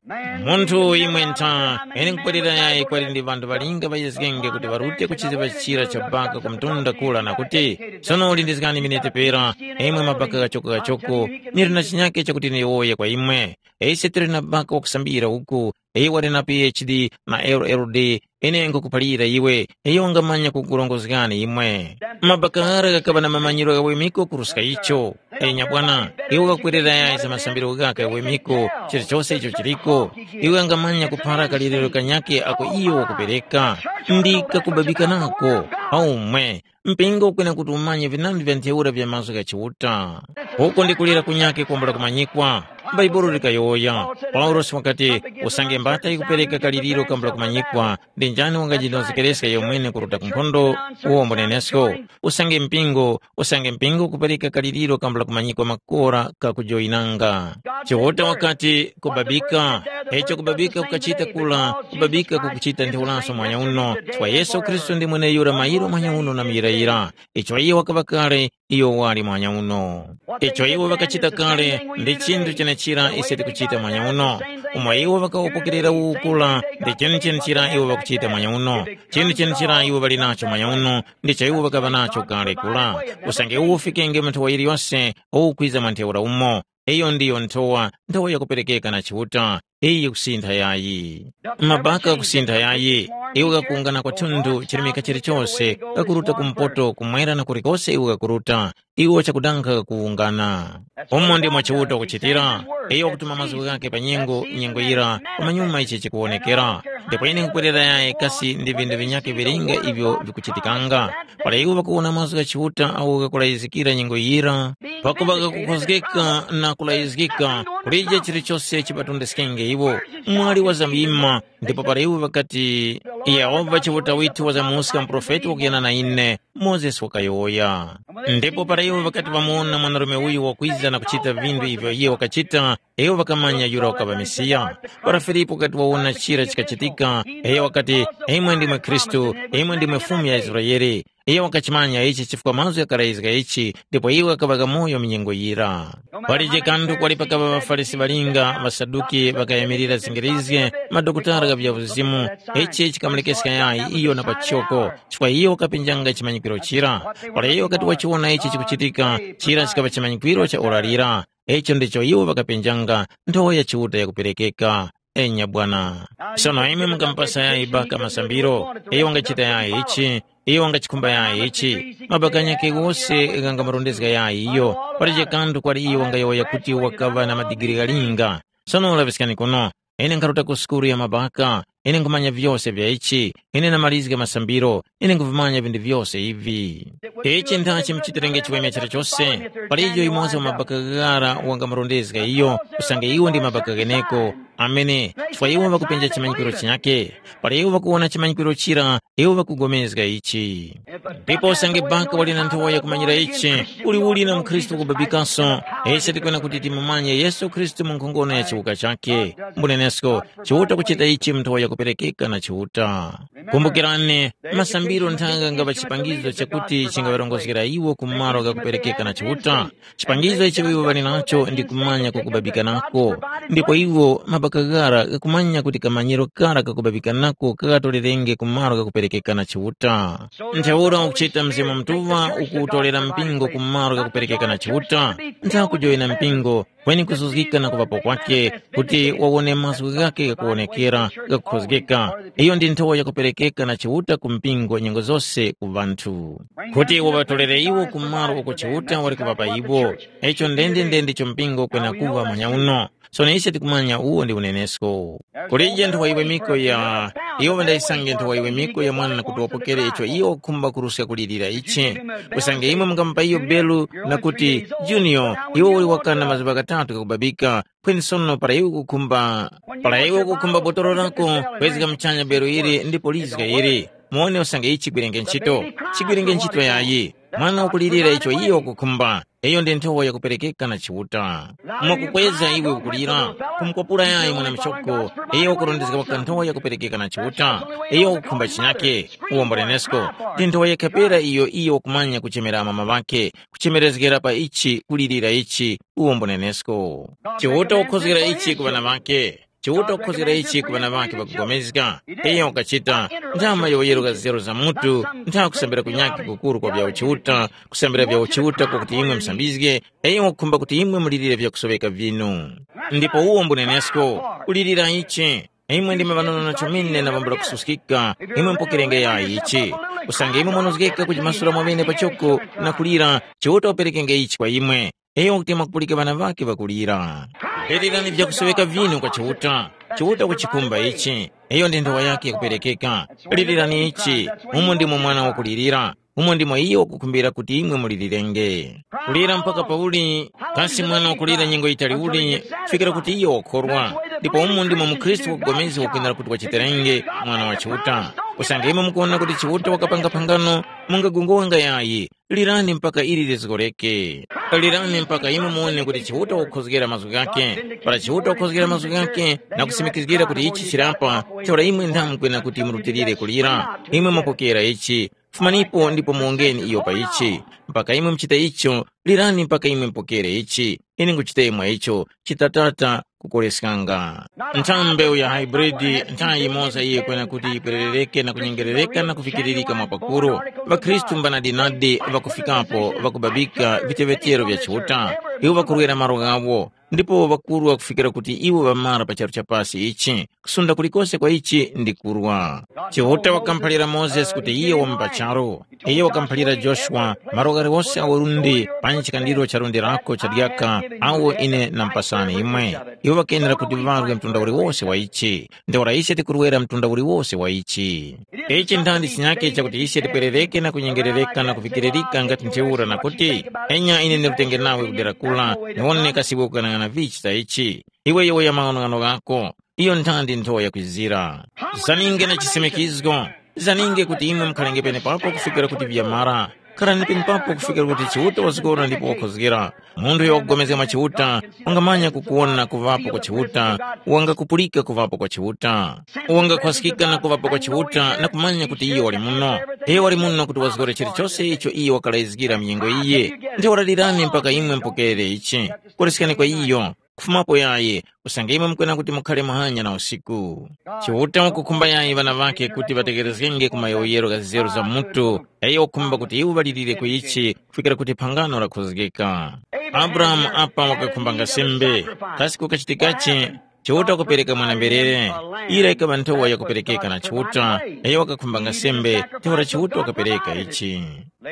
Munthu imwe ntha, ine nkupwerera yayi kwali ndi ŵanthu ŵalinga ŵayezgenge kuti ŵarute ku chiziŵa chira cha baka ku mtunda kula na kuti, sono lindizgani minete pera, imwe mabaka ghachoko-ghachoko, nili na chinyake chakuti ndiyowoye kwa imwe. Ise tili na baka wakusambira uku, iyo wali na P H D na L L D, ine nkukuphalira iwe, iyo wangamanya kukurongozgani imwe. Mabaka ghara ghakaŵa na mamanyiro ghawemiko kuruska icho. Enya bwana, iwe wakwerera yayi za masambiro ghaka ghawemiko, chilichose icho chiliko, iwe wangamanya kuphara kaliriro kanyakhe ako iyo wakupereka. Ndi kakubabika nako, aumwe, mpingo ukwena kuti umanye vinandi vya ntheura vya mazgu gha Chiuta. Uko ndi kulira kunyakhe kwambula kumanyikwa. Bhaibuli likayowoya, Paulosi wakati, usange mbata yikupereka kaliriro kambula kumanyikwa, ndi njani wangajinozekereska iyo mwene kuruta ku nkhondo? Uwo mbunenesko. Usange mpingo, usange mpingo ukupereka kaliriro kambula kumanyikwa makora kakujoyinanga. Chiuta wakati, kubabika. Echo kubabika kukachita kula, kubabika kukuchita ntheuraso mwanya uno, chifukwa Yesu Khristu ndi mweneyura mayiro mwanya uno na muyirayira. Icho iyo wakaŵa kale, iyo wali mwanya uno. Icho iwo ŵakachita kale, ndi chinthu chenechira ise tikuchita mwanya uno. Umo iwo ŵakawopokerera ukula, ndi chinthu chenechira iwo ŵakuchita mwanya uno. Chinthu chenechira iwo ŵali nacho mwanya uno, ndicho iwo ŵakaŵa nacho kale kula. Usange uwo ufikenge mu nthowa yiliyose, uwukwiza mwa ntheura umo. Iyo ndiyo nthowa, nthowa yakuperekeka na Chiuta, iyi yikusintha yayi. Mabaka ghakusintha yayi, iwo ghakuwungana kwathunthu chirimika chilichose, ghakuruta kumpoto, kumwera na kulikose iwo ghakuruta, iwo chakudanga ghakuwungana. Umo ndimo Chiuta wakuchitira, iyo wakutuma mazgu ghakhe pa nyengo, nyengo yira, pamanyuma ichi chikuwonekera. Ndipo ine nkupwerera yayi kasi ndi vinthu vinyakhe vilinga ivyo vikuchitikanga. Para iwo ŵakuwona mazgu gha Chiuta agho ghakulayizgikira nyengo yira, pakuŵa ghakukhozgeka na kulayizgika, kulije chilichose chiŵatondeskenge iwo. Mwali wazamyima, ndipo para iwo ŵakati, “Yehova Chiuta withu wazamuska muprofeti wakuyana na ine,” Mozesi wakayowoya. Ndipo para iwo ŵakati ŵamuwona mwanarume uyu wakwiza na kuchita vinthu ivyo iyo wakachita, iwo ŵakamanya yura wakaŵa Mesiya. Para Filipu wakati wawona chira chikachitika, iyo wakati, “Imwe ndimwe Khristu, imwe ndimwe Fumu ya Israele.” Iyo wakachimanya ichi chifukwa mazgu ghakarayizga ichi, ndipo iwo ghakaŵa ghamoyo mu nyengo yira. Palije kanthu kwali pakaŵa ŵaFarisi ŵalinga, ŵaSaduki ŵakayamirira zingirizge, madokotala gha vya uzimu, ichi chikamulekeska yayi iyo na pachoko, chifukwa iyo wakapenjanga chimanyikwiro chira. Para iyo wakati wachiwona ichi chikuchitika, chira chikaŵa chimanyikwiro cha ora lira. Icho ndicho iwo ŵakapenjanga, nthowa ya Chiuta yakuperekeka. Enya bwana. Sono imwe mungamupasa yayi baka masambiro, iyo wangachita yayi ichi, iyo wangachikhumba yayi ichi, mabaka ghanyakhe ghose ghangamurondezga yayi iyo, palije kanthu kwali iyo wangayowoya kuti wakaŵa na madigiri ghalinga. Sono laŵiskani kuno, ine nkharuta ku sukulu ya mabaka, ine nkhumanya vyose vya ichi, ine namalizga masambiro, ine nkhuvimanya vinthu vyose ivi. Ichi nthachi muchitirenge chiweme chilichose, palijo yumoza wa mabaka ghara wangamurondezga iyo, usange iwo ndi mabaka gheneko, amene, chifukwa iwo ŵakupenja chimanyikwiro chinyakhe, para iwo ŵakuwona chimanyikwiro chira, iwo ŵakugomezga ichi. Ndipo usange baka wali na nthowa yakumanyira ichi, uliuli na mukhristu wakubabikaso, ise tikwena kuti timumanye Yesu Khristu mu nkhongono ya chiwuka chakhe. Mbunenesko, Chiuta kuchita ichi mu nthowa yakuperekeka na Chiuta. Kumbukirani, masambiro nthanga ngaŵa chipangizo chakuti chingaŵarongozgera iwo ku malo ghakuperekeka na Chiuta. Chipangizo icho iwo ŵali nacho ndi kumanya kwakubabikanako. Ndipo iwo mabaka ghara ghakumanya kuti kamanyiro kara kakubabikanako kaghatorerenge ku malo ghakuperekeka na Chiuta. Ntheura ukuchita Mzimu Mutuŵa ukuwutolera mpingo ku malo ghakuperekeka na Chiuta, ntha kujoyera mpingo, kweni kuzuzgika na kuŵapo kwakhe, kuti wawone mazgu ghakhe ghakuwonekera, ghakukhozgeka. Iyo ndi nthowa yakupereka keka na Chiuta ku mpingo nyengo zose ku ŵanthu, kuti uŵatolere iwo ku malo uko Chiuta wali kuŵapa iwo. Icho ndendende ndicho mpingo kwena kuŵa manyauno. Sono ise tikumanya uwo ndi unenesko. Kulije nthowa yiwemiko ya iwo ŵandayisange nthowa yiwemiko ya mwana kuti wapokere icho iwo wakukhumba kuruska kulirira ichi. Usange imwe mungamupa iyo belu na kuti, Junior, iwe uli wakana mazuŵa ghatatu ghakubabika, kweni sono para iwe ukukhumba para iwe ukukhumba botolo lako, kwezga muchanya belo ili ndipo lizga ili. Muone usange ichi chigwirenge ntchito. Chigwirenge ntchito yayi. Mwana wakulirira icho iyo ukukhumba. Iyo ndi nthowa yakuperekeka na Chiuta. Mwakukweza iwe ukulira, kumukwapula yayi mwana michoko, iyo ukurondezga waka nthowa yakuperekeka na Chiuta. Iyo ukukhumba chinyake. Uwombolenesko. Ndi nthowa yakhapera iyo iyo ukumanya kuchemera amama ŵake, kuchemerezgera pa ichi kulirira ichi. Uwombolenesko. Chiuta ukhozgera ichi ku ŵana ŵake. Chiuta ukhozgera ichi ku ŵana ŵake ŵakugomezga. Iyo ukachita, nthama yoyeruka zero za mutu, ntha kusambira kunyakhe kukuru kwa vya uchiuta, kusambira vya uchiuta kwakuti imwe musambizge. Iyo wakukhumba kuti imwe mulirire vyakusoweka vinu. Ndipo uwo mbunenesko, kulirira ichi. Imwe ndime ŵanono na chomene na vambula kususkika. Imwe mpokerenge yayi ichi. Usange imwe mwanozgeka kujimasula mwamene pachoko, na kulira, Chiuta uperekenge ichi kwa imwe. Iyo wakuti mwakupulika ŵana ŵake ŵakulira. Perirani vyakusoweka vinu kwa Chiuta. Chiuta kuchikumba ichi. Iyo ndi nthowa yake yakuperekeka. Lirirani ichi. Umo ndimo mwana wakulirira. Umo ndimo iyo wakukhumbira kuti imwe mulilirenge. Kulira mpaka pauli? Kasi mwana wakulira nyengo yitali uli? Fikira kuti iyo wakhorwa. Ndipo umo ndimo mukhristu wakugomezga wakwenera kuti wachiterenge, mwana wa Chiuta. Usange imwe mukuwona kuti Chiuta wakapanga phangano, mungagunguwanga yayi. Lirani mpaka ili lizgoreke. Lirani mpaka imwe muwone kuti Chiuta wakukhozgera mazgu ghake. Para Chiuta wakukhozgera mazgu ghake na kusimikizgira kuti ichi chirapa, ntheura imwe nthamu kwena kuti murutilire kulira. Imwe mwapokera ichi. Fumanipo ndipo muwongeni iyo pa ichi. Mpaka imwe muchita icho, lirani mpaka imwe mupokere ichi. Ine nguchita imwe icho, chitatata kukoreskanga. Nthambi ya hybrid nthayi yimoza iye kwena kuti yipererereke na kunyengerereka na kufikiririka mwa pakuru. Ŵakhristu mbanadinadi ŵakufikapo ŵakubabika viteŵetero vya Chiuta. Iwo ŵakurwera malo ghawo, ndipo ŵakurwa kufikira kuti iwo ŵamara pa charu cha pasi ichi. Kusunda kulikose kwa ichi ndi kurwa. Chiuta wakamuphalira Mozesi kuti iye wamupacharo. Iye wakamuphalira Joshua, malo ghaliwose awo lundi panyi chikandiro cha lundi lako cha dyaka, awo ine nampasani imwe. Iwo ŵakenera kuti ŵarwe mtunda uliwose wa ichi. Ntheura ise tikurwera mtunda uliwose wa ichi. Ichi nthandi chinyake chakuti ise tipwerereke na kunyengerereka na kuvikiririka ngati ntheura na kuti, enya ine ndirutenge nawe kudera kula, niwone kasi iwe ukang'ana vichi za ichi. Iwe yowoya maghanoghano ghako. Iyo nthandi nthowa yakwizira. Zaninge na chisimikizgo. Zaninge kuti imwe mukhalenge penepapo kufikira kuti vyamara. Khalani penepapo kufikira kuti Chiuta wazgora ndipo wakhozgera. Munthu uyo wakugomezga mwa Chiuta, wangamanya kukuwona kuŵapo kwa Chiuta, wangakupulika kuŵapo kwa Chiuta. Wangakhwaskika na kuŵapo kwa Chiuta na kumanya kuti iyo wali muno. Iyo wali muno kuti wazgore chilichose icho iyo wakalayizgira mnyengo iye. Ntheura lirani mpaka imwe mupokere ichi. Koreskani kwa iyo. Kufumapo yayi, usange imwe mukwena kuti mukhale muhanya na usiku. Chiuta wakukhumba yayi ŵana ŵakhe kuti ŵatekerezgenge ku mayowoyero gha nzeru za mutu, yayi wakukhumba kuti iwo ŵalirire ku ichi kufikira kuti phangano lakhozgeka. Abrahamu apa wakakhumbanga sembe, kasi kukachitikachi? Chiuta wakupereka mwana-mberere, ira ikaŵa nthowa yakuperekeka na Chiuta, yayi wakakhumbanga sembe, ntheura Chiuta wakapereka ichi.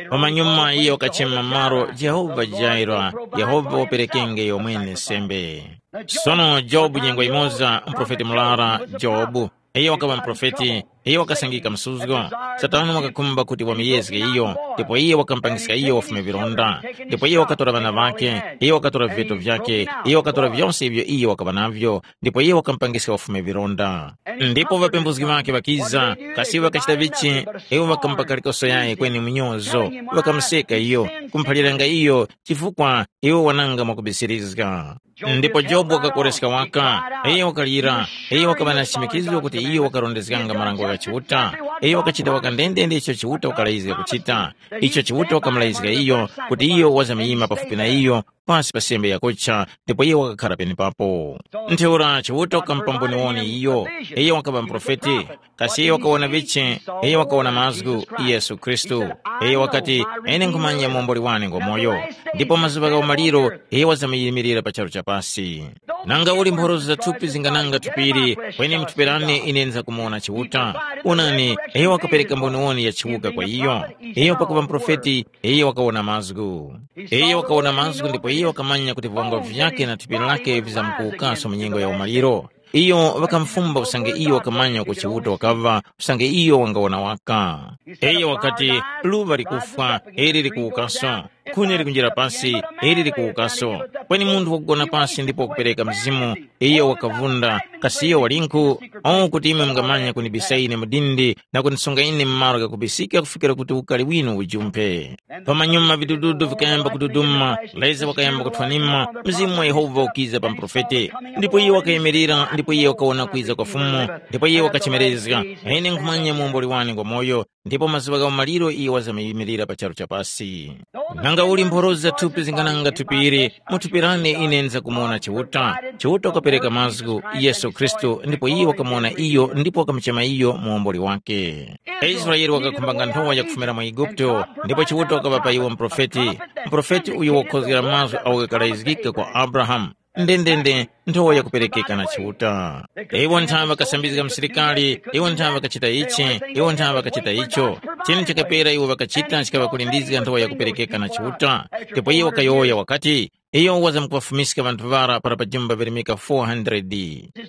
Pamanyuma iyo wakachema malo Jehova Jaira, Yehova waperekenge yomwene sembe. Sono Jobu nyengo yimoza, muprofeti murara Jobu, iyo wakaŵa muprofeti, iyo wakasangika msuzgo. Satana wakakhumba kuti wamuyezge iyo, ndipo iye wakamupangiska iyo wafume vilonda. Ndipo iye wakatora ŵana ŵakhe, iye wakatora viveto vyakhe, iye wakatora vyose ivyo iye wakaŵa navyo, ndipo iye wakamupangiska wafume vilonda. Ndipo ŵapembuzgi ŵakhe ŵakiza, kasi iwo ŵakachita vichi? Iwo ŵakamupa kalikoso yayi kweni mnyozo, ŵakamuseka iyo, kumuphaliranga iyo chifukwa iwo wananga mwakubisirizga. Ndipo Jobu wakakoreska waka, iyo wakalira, iyo wakaŵa na chimikizo kuti iyo wakarondezganga marango gha Chiuta, iyo wakachita waka ndendende icho Chiuta wakalayizga kuchita, icho Chiuta wakamulayizga iyo kuti iyo wazamyima pafupi na iyo, pasi pa sembe yakucha, ndipo iyo wakakhara penepapo. Ntheura Chiuta wakamupamboniwoni iyo, iyo wakaŵa muprofeti, kasi iyo wakawona vichi? Iyo wakawona mazgu, Yesu Khristu. Iyo wakati, ine nkhumanya muomboli wane ngwamoyo. Ndipo mazuŵa gha umaliro, iyo wazamyiyimirira pa charu cha pasi. Nanga uli mphoroso za thupi zingananga thupili, kweni muthuperane ine nzakumuwona Chiuta. Onani, iyo wakapereka mboniwoni ya chiwuka kwa iyo. Iyo pakuŵa muprofeti, iyo wakawona mazgu. Iyo wakawona mazgu ndipo iyo wakamanya kuti viwango vyake na thupi lake vizamkuwukanso mu nyengo ya umaliro. Iyo ŵakamufumba usange iyo wakamanya uko Chiuta wakaŵa, usange iyo wangawona waka. Iyo wakati, luŵa likufwa, ili likuwukaso. Khuni likunjira pasi, ili likuwukaso. Kweni munthu wakugona pasi ndipo wakupereka mzimu, iyo wakavunda, kasi iyo walinkhu? O kuti imwe mungamanya kunibisa ine mudindi na kundisunga ine mu malo ghakubisika kufikira kuti ukali winu ujumphe. Pamanyuma vidududu vikayamba kududuma, leza wakayamba kuthwanima, mzimu wa Yehova ukiza pa muprofete. Ndipo iye wakayimirira, ndipo iye wakawona kwiza kwa Fumu, ndipo iye wakachemerezga, ine nkhumanya muomboli wane ngwa moyo, ndipo mazuŵa gha umaliro iye wazamyimirira pa charu cha pasi. Nanga uli mphoroza thupi zingananga thupi ili, mu thupi lane ine nzakumuwona Chiuta. Chiuta wakapereka mazgu, Yesu Khristu, ndipo iye wakamuwona iyo ndipo wakamuchema iyo muomboli wake. Israeli wakakhumbanga nthowa yakufumira mu Eguputo, ndipo Chiuta wakaŵa pa iwo muprofeti. Muprofeti uyo wakukhozgera mazgu awo ghakalazgika kwa Abrahamu. Ndendende, nthowa yakuperekeka na Chiuta. Iwo nthawe ŵakasambizga msilikali, iwo nthawe ŵakachita ichi, iwo nthawe ŵakachita icho. Chinu chakapera iwo ŵakachita chikaŵakulindizga nthowa yakuperekeka na Chiuta. Ndipo iye wakayowoya wakati, iyo wazamkuŵafumiska ŵanthu ŵara para pajumba virimika four hundred.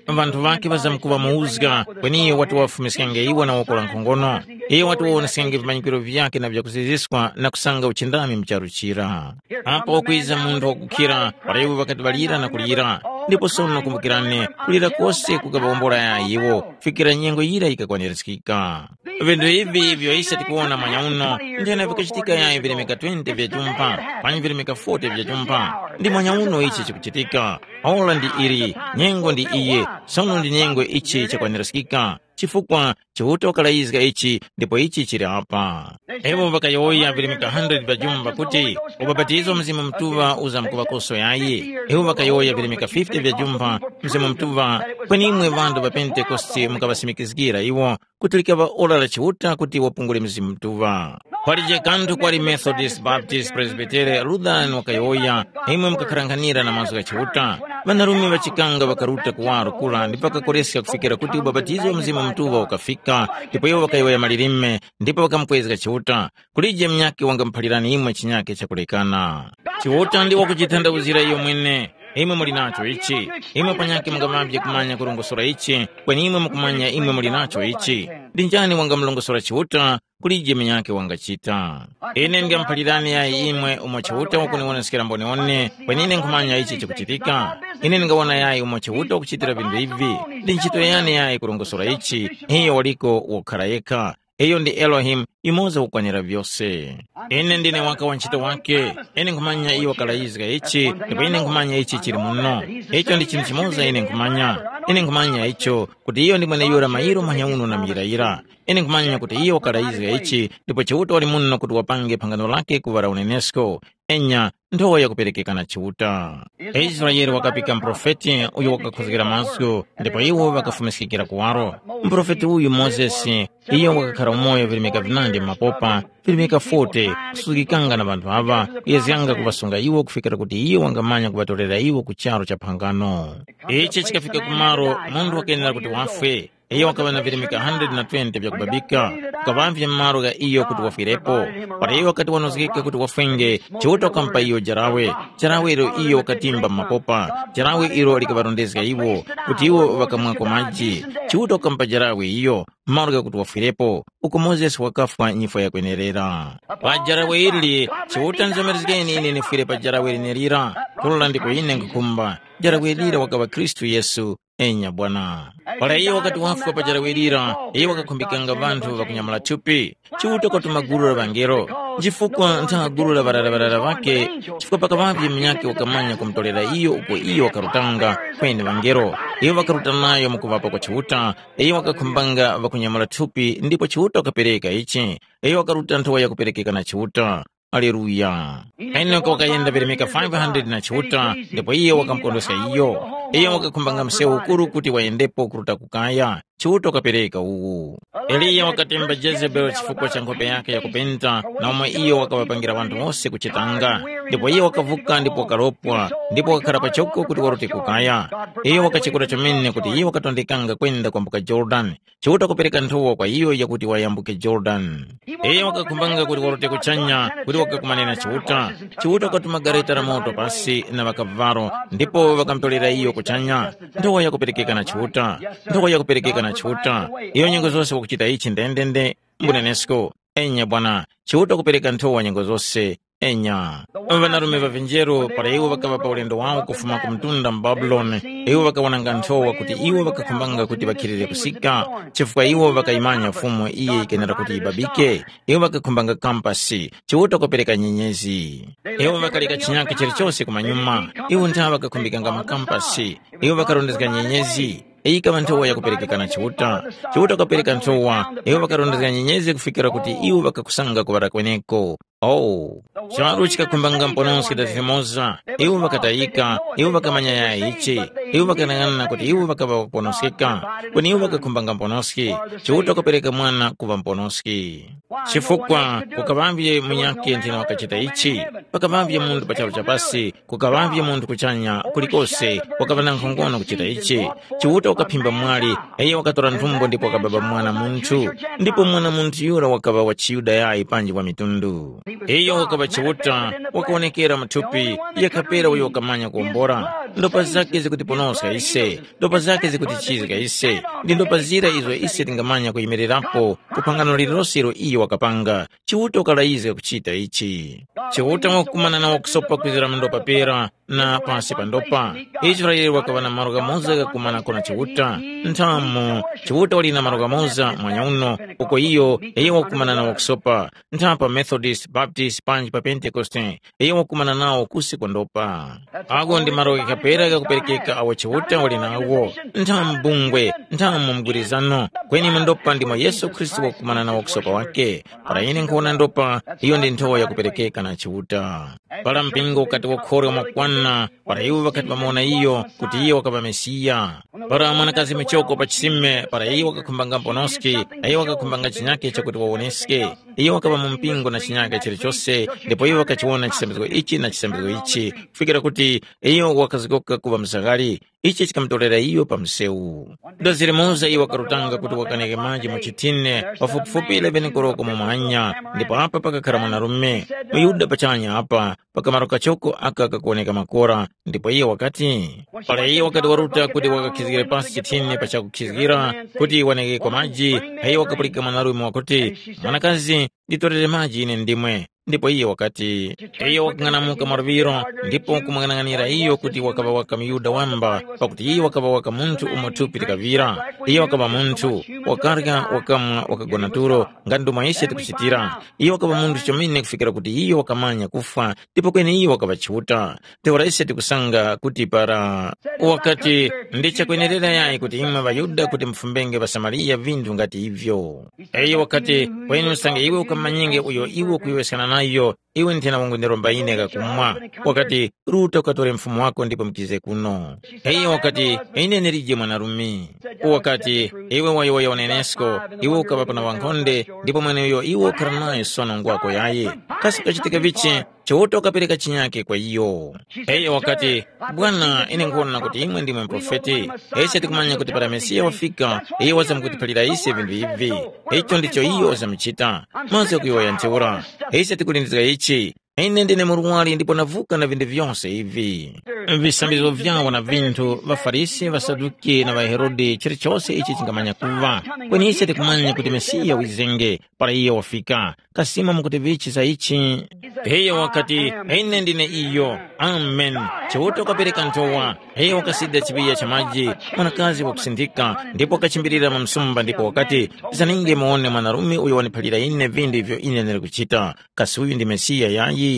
Ŵanthu ŵakhe ŵazamkuŵamuwuzga, kweni iyo wati wafumiskenge iwo na woko la nkhongono. Iyo wati wawoneskenge vimanyikiro vyakhe na vyakuziziskwa na kusanga uchindami mu charu chira. Apo wakwiza munthu wakukhira, para iwo ŵakati ŵalira na kulira. Ndipo sono kumbukirani, kulira kose kukaŵawombola yayi iwo, fikira nyengo yira yikakwanirizgika. Vinthu ivi ivyo ise tikuwona mwanyauno, nthena vikachitika yayi vilemeka twenty vya chumpa, panyi vilemeka forty vya chumpa. Ndi mwanyauno ichi chikuchitika. Ora ndi ili, nyengo ndi iyi, sono ndi nyengo ichi chakwanirizgika. Chifukwa Chiuta wakalayizga ichi ndipo ichi chili apa. Iwo ŵakayowoya virimika hundred vya jumba kuti, ubapatizo Mzimu Mutuŵa uzamkuŵakoso yayi. Iwo ŵakayowoya virimika fifty vya jumba, Mzimu Mutuŵa, kweni imwe ŵanthu ŵa Pentekoste mukaŵasimikizgira iwo kuti likaŵa ora la Chiuta kuti wapungule Mzimu Mutuŵa. Kwalije kanthu kwali Methodist, Baptist, Presbytere, Lutheran wakayowoya, imwe mukakharanghanira na mazgu gha Chiuta. Ŵanarume ŵachikanga ŵakaruta kuwaro kura ndipo ŵakakoreska kufikira kuti ubapatizo wa Mzimu Mutuŵa ukafika, ndipo iwo ŵakayowoya malilime ndipo ŵakamukwezga Chiuta. Kulije munyakhe wangamuphalirani imwe chinyakhe chakulekana. Chiuta ndi wakuchithandauzira iyo mwene. Imwe muli nacho ichi. Imwe panyakhe mungaŵavye kumanya kurongosora ichi, kweni imwe mukumanya imwe muli nacho ichi. Ndi njani wangamulongosora Chiuta? Kulije munyakhe wangachita. Ine ndingamuphalirani yayi imwe umo Chiuta wakuniwoneskera mboniwone, kweni ine nkhumanya ichi chikuchitika. Ine ndingawona yayi umo Chiuta wakuchitira vinthu ivi. Ndi ntchito yani yayi kurongosora ichi, iyo waliko wokhala yekha. Iyo ndi Elohimu, yumoza wakukwanira vyose. Ine ndine waka wa ntchito wake. Ine nkhumanya iyo wakalayizga ichi, ndipo ine nkhumanya ichi chili muno. Icho ndi chinthu chimoza ine nkhumanya. Ine nkhumanya icho, kuti iyo ndi mweneyura mayiro manyauno na muyirayira. Ine nkhumanya kuti iyo wakalayizga ichi, ndipo Chiuta wali muno kuti wapange phangano lake kuŵa la unenesko. Enya, nthowa yakuperekeka na Chiuta. Israele wakapika muprofeti uyo wakakhozgera mazgu, ndipo iwo ŵakafumiskikira kuwaro. Muprofeti uyu Mozesi, iyo wakakhara umoyo virimika vinandi m'mapopa, virimika forty, kusuzgikanga na ŵanthu aŵa, kuyezganga kuŵasunga iwo kufikira kuti iyo wangamanya kuŵatorera iwo ku charu cha phangano. Ichi chikafika kumaro munthu wakenera kuti wafwe. Iyo wakaŵa na virimika hundred na twenty vyakubabika, kukaŵavye malo gha iyo kuti wafwirepo. Para iyo wakati wanozgeka kuti wafwenge, Chiuta wakamupa iyo jarawe, jarawe ilo iyo wakatimba mu mapopa, jarawe ilo likaŵarondezga iwo, kuti iwo ŵakamwako maji. Chiuta wakamupa jarawe iyo, malo ghakuti wafwirepo, uko Mozesi wakafwa nyifwa yakwenerera. Pa jarawe ili, Chiuta nzomerezgeni ine nifwire pa jarawe lenelira, kulola ndiko ine nkhukhumba. Jarawe lira wakaŵa Khristu Yesu. Enya bwana. Para iyo wakati wafwa pa jarawe lira, iyo wakakhumbikanga ŵanthu ŵakunyamula thupi. Chiuta kwatuma gulu la ŵangelo. Chifukwa ntha gulu la ŵarara-ŵarara ŵake, chifukwa pakaŵavye munyakhe wakamanya kumutorera iyo uko iyo wakarutanga, kweni ŵangelo. Iyo wakaruta nayo mukuŵapa kwa Chiuta, iyo wakakhumbanga ŵakunyamula thupi ndipo Chiuta wakapereka ichi. Iyo wakaruta nthowa yakuperekeka na Chiuta. Aleluya. Henoko wakayenda peremeka five hundred na Chiuta, ndipo iye wakamukondweska iyo. Iye wakakhumbanga msewu ukuru kuti wayendepo kuruta ku kaya. Chiuta wakapereka uwu. Eliya wakatemba Jezebeli chifukwa cha nkhope yake yakupenta na umo iyo wakaŵapangira ŵanthu wose kuchitanga. Ndipo iyo wakavuka ndipo wakaropwa, ndipo wakakhala pachoko kuti warute kukaya. Iyo wakachekura chomene kuti iyo wakatondekanga kwenda kwambuka Jorodani. Chiuta kupereka nthowa kwa iyo yakuti wayambuke Jorodani. Iyo wakakhumbanga kuti warute kuchanya kuti wakakumane na Chiuta. Chiuta wakatuma gareta la moto pasi na ŵakavalo ndipo ŵakamutorera iyo kuchanya. Nthowa yakuperekeka na Chiuta. Nthowa yakuperekeka na Chiuta. Iyo nyengo zose wakuchita ichi ndendende. Mbunenesko. Enya bwana. Chiuta kupereka nthowa nyengo zose. Enya. Ŵanarume ŵa vinjeru para iwo ŵakaŵa pa ulendo wawo kufuma ku mtunda mu Babuloni, iwo ŵakawonanga nthowa kuti iwo ŵakakhumbanga kuti ŵakhilire kusika, chifukwa iwo ŵakayimanya Fumu iyo yikenera kuti yibabike. Iwo ŵakakhumbanga kampasi, Chiuta kupereka nyenyezi. Iwo ŵakaleka chinyakhe chilichose kumanyuma. Iwo ntha ŵakakhumbikanga makampasi. Iwo ŵakarondezga nyenyezi. Iyi yikaŵa nthowa yakuperekeka na Chiuta. Chiuta wakapereka nthowa. Iwo ŵakarondezga nyenyezi kufikira kuti iwo ŵakakusanga kuŵala kweneko. Oh, charu chikakhumbanga mponoski da zimoza. Iwo ŵakatayika. Iwo ŵakamanya yaya ichi. Iwo ŵakanang'ana kuti iwo ŵakaŵa ŵakuponoskeka. Kweni iwo ŵakakhumbanga mponoski. Chiuta wakapereka mwana kuŵa mponoski. Chifukwa kukaŵavye munyakhe nthena wakachita ichi. Pakaŵavye munthu pa charu chapasi. Kukaŵavye munthu kuchanya kulikose wakaŵa na nkhongono kuchita ichi. Chiuta wakaphimba mwali, iyo wakatora nthumbo ndipo wakababa mwana munthu. Ndipo mwana munthu yura wakaŵa wa chiYuda yayi panji wa mitundu. Iyo wakaŵa Chiuta, wakawonekera mu thupi, yakapera uyo wakamanya kuwombora. Ndopa zake zikutiponoska ise, ndopa zake zikutichizga ise, ndi ndopa zira izo ise tingamanya kuyimirirapo ku phangano lililose ilo iyo wakapanga. Chiuta wakalayizga kuchita ichi. Chiuta wakukumana na wakusopa kwizira mu ndopa pera na pasi pa ndopa. Israele wakaŵa na malo ghamoza ghakumanako na Chiuta. Nthamu, Chiuta wali na malo ghamoza mwanya uno, uko iyo, iyo wakukumana na wakusopa. Ntha pa Methodist, Baptist, panji pa Pentekoste, iyo wakukumana nawo kusi kwa ndopa. Ago ndi malo ghakapera ghakuperekeka awo Chiuta wali nawo. Nthamu bungwe, nthamu mgwirizano, kweni mu ndopa ndimo Yesu Khristu wakukumana na wakusopa wake. Para ine nkhuwona ndopa, iyo ndi nthowa yakuperekeka na Chiuta. Para mpingo ukati wakhorwa mwakwana, para iwo ŵakati ŵamuwona iyo, kuti iye wakaŵa Mesiya. Para mwanakazi michoko pa chisime, para iye wakakhumbanga mponoski, na iye wakakhumbanga chinyake chakuti wawoneske. Iyo wakaŵa mu mpingo na chinyake chilichose, ndipo iwo ŵakachiwona chisambizgo ichi na chisambizgo ichi, kufikira kuti iyo wakazgoka kuŵa mzaghali. Ichi chikamutorera iyo pa msewu. Dozere Mose iyo wakarutanga kuti wakaneke maji mu chithine pafupifupi eleven koloko mu manya, ndipo apa pakakhala mwanarume muYuda pachanya apa pakamaro kachoko aka kakuwoneka makora, ndipo iye wakati, para iye wakati waruta kuti wakakhizgire pasi chithine pa chakukhizgira kuti waneke kwa maji, iye wakapulika mwanarume wakuti, mwanakazi, nditorere maji ine ndimwe. Ndipo iye wakati, iyo wakang'anamuka mwaluŵiro, ndipo kumung'anang'anira iyo kuti wakaŵa waka muyuda wamba, pakuti iyo wakaŵa waka munthu umo thupi likaŵira. Iyo wakaŵa munthu, wakarya, wakamwa, wakagona tulo, nga ndomwe ise tikuchitira. Iyo wakaŵa munthu chomene kufikira kuti iyo wakamanya kufwa, ndipo kweni iyo wakaŵa Chiuta. Ntheura ise tikusanga kuti para wakati, ndi chakwenerera yayi kuti imwe ŵaYuda kuti mufumbenge ŵaSamariya vinthu ngati ivyo. Iyo wakati, kweni usange iwe ukamanyenge uyo iwe ukuyowoyeskana nayo, iwe nthena wangundiromba ine kakumwa. Wakati, ruta ukatore mfumu wako ndipo mukize kuno. Iyo wakati, ine ndilije mwanarume. Wakati, iwe wayowoya unenesko, iwe ukaŵa pana wankhonde, ndipo mweneuyo iwe ukhara nayo sono ngwako yayi. Kasi kachitika vichi? Chiuta wakapereka chinyake kwa iyo. Iyo wakati, bwana, ine nkuwona kuti imwe ndimwe muprofeti. Ise tikumanya kuti para Mesiya wafika, iyo wazamkutiphalira ise vinthu ivi. Icho ndicho iyo wazamuchita. Mazgu kuyowoya ntheura. Ise tikulindizga ichi. Ine ndine murwari ndipo navuka na vinthu vyose ivi. Visambizgo vyawo na vinthu, ŵaFarisi, ŵaSaduki na ŵaHerode, chilichose ichi chingamanya kuva. Kweni ise tikumanya kuti Mesiya wizenge, para iye wafika. Kasima mukuti vichi za ichi? Iyo wakati, ine ndine iyo. Amen. Chiuta wakapereka nthowa. Iyo wakasida chiŵiya cha maji, mwanakazi wakusindika, ndipo wakachimbirira mu msumba ndipo wakati, zaninge muwone mwanarume uyo waniphalira ine vinthu ivyo ine ndili kuchita. Kasi uyu ndi Mesiya yayi?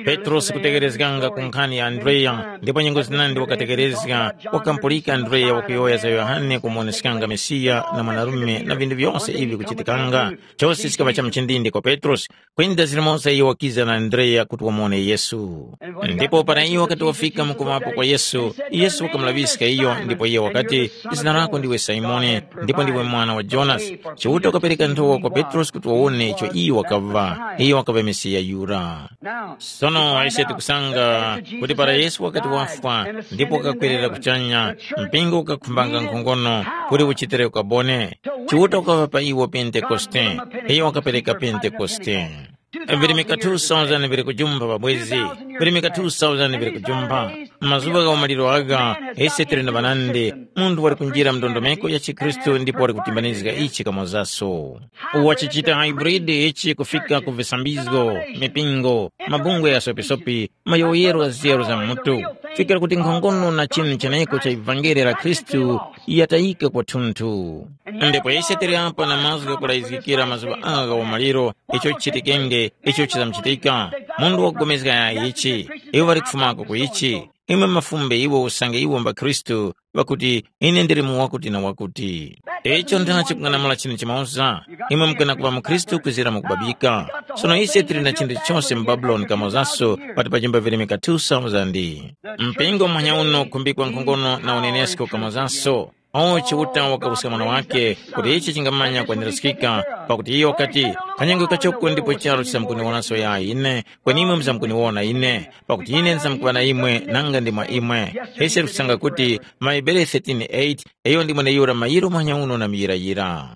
Petrosi kutekerezganga ku nkhani ya Andreya, ndipo nyengo zinandi wakatekerezga, wakampulika Andreya wakuyowoya za Yohane kumuwoneskanga Mesiya na mwanarume na vinthu vyose ivi kuchitikanga. Chose chikaŵa cha mchindindi kwa Petrosi, kwenda zilimoza iyo wakiza na Andreya kuti wamuwone Yesu. Ndipo para iwo wakati wafika, Kamukomapo kwa Yesu, Yesu wakamulaŵiska iyo ndipo iye wakati, “Zina lako ndiwe Simoni, ndipo ndiwe mwana wa Jonasi. Chiuta wakapereka nthowa kwa Petrosi kuti wawone icho iyo wakaŵa. Iyo wakaŵa Mesiya yura.” Sono ise tikusanga kuti para Yesu wakati wafwa ndipo wakakwerera kuchanya, mpingo ukakhumbanga nkhongono kuti uchitire ukabone. Chiuta wakaŵa pa iwo Pentekoste, iyo wakapereka Pentekoste. Virimika two thousand viri kujumba pabwezi, virimika two thousand viri kujumba. Mazuŵa gha umaliro agha, ise tili na ŵanandi, munthu wali kunjira mndondomeko ya chikhristu ndipo wali kutimbanizga ichi kamozaso. Wachichita hybrid ichi kufika ku visambizgo, mipingo, mabungwe ya sopisopi, mayowoyero gha zyeru za mutu, fikira kuti nkhongono na chinu cheneko cha ivangeli la Khristu yatayika kwathunthu. Ndipo ise tili apa na mazgu ghakulayizgikira mazuŵa agha umaliro, icho chichitikenge, icho chizamchitika. Munthu wakupulikana ichi, iwo ŵali kufumako ku ichi. Imwe mafumbe iwo usange iwo mba Khristu, ŵakuti, “Ine ndili mu wakuti na wakuti.” Icho ndachi kung'anamula chinu chimoza, imwe mukana kuŵa mukhristu kwizira mukubabika. Sono ise tili na chinthu chose mu Babuloni kamozaso pati pa chimba virimika two thousand. Mpingo muhanya uno ukhumbikwa nkhongono na unenesko kamozaso. Awo Chiuta wakapuska mwana wake kuti ichi chingamanya kwaniraskika, pakuti iyo wakati, “Kanyengwe kachoko ndipo charu chisamkuniwonaso ya ine, kweni imwe muzamkuniwona ine, pakuti ine ndizamkuŵa na imwe nanga ndi mwa imwe.” Ise tikusanga kuti maHebere thirteen eight, iyo ndi mweneyura mayiro manyauno na muyirayira.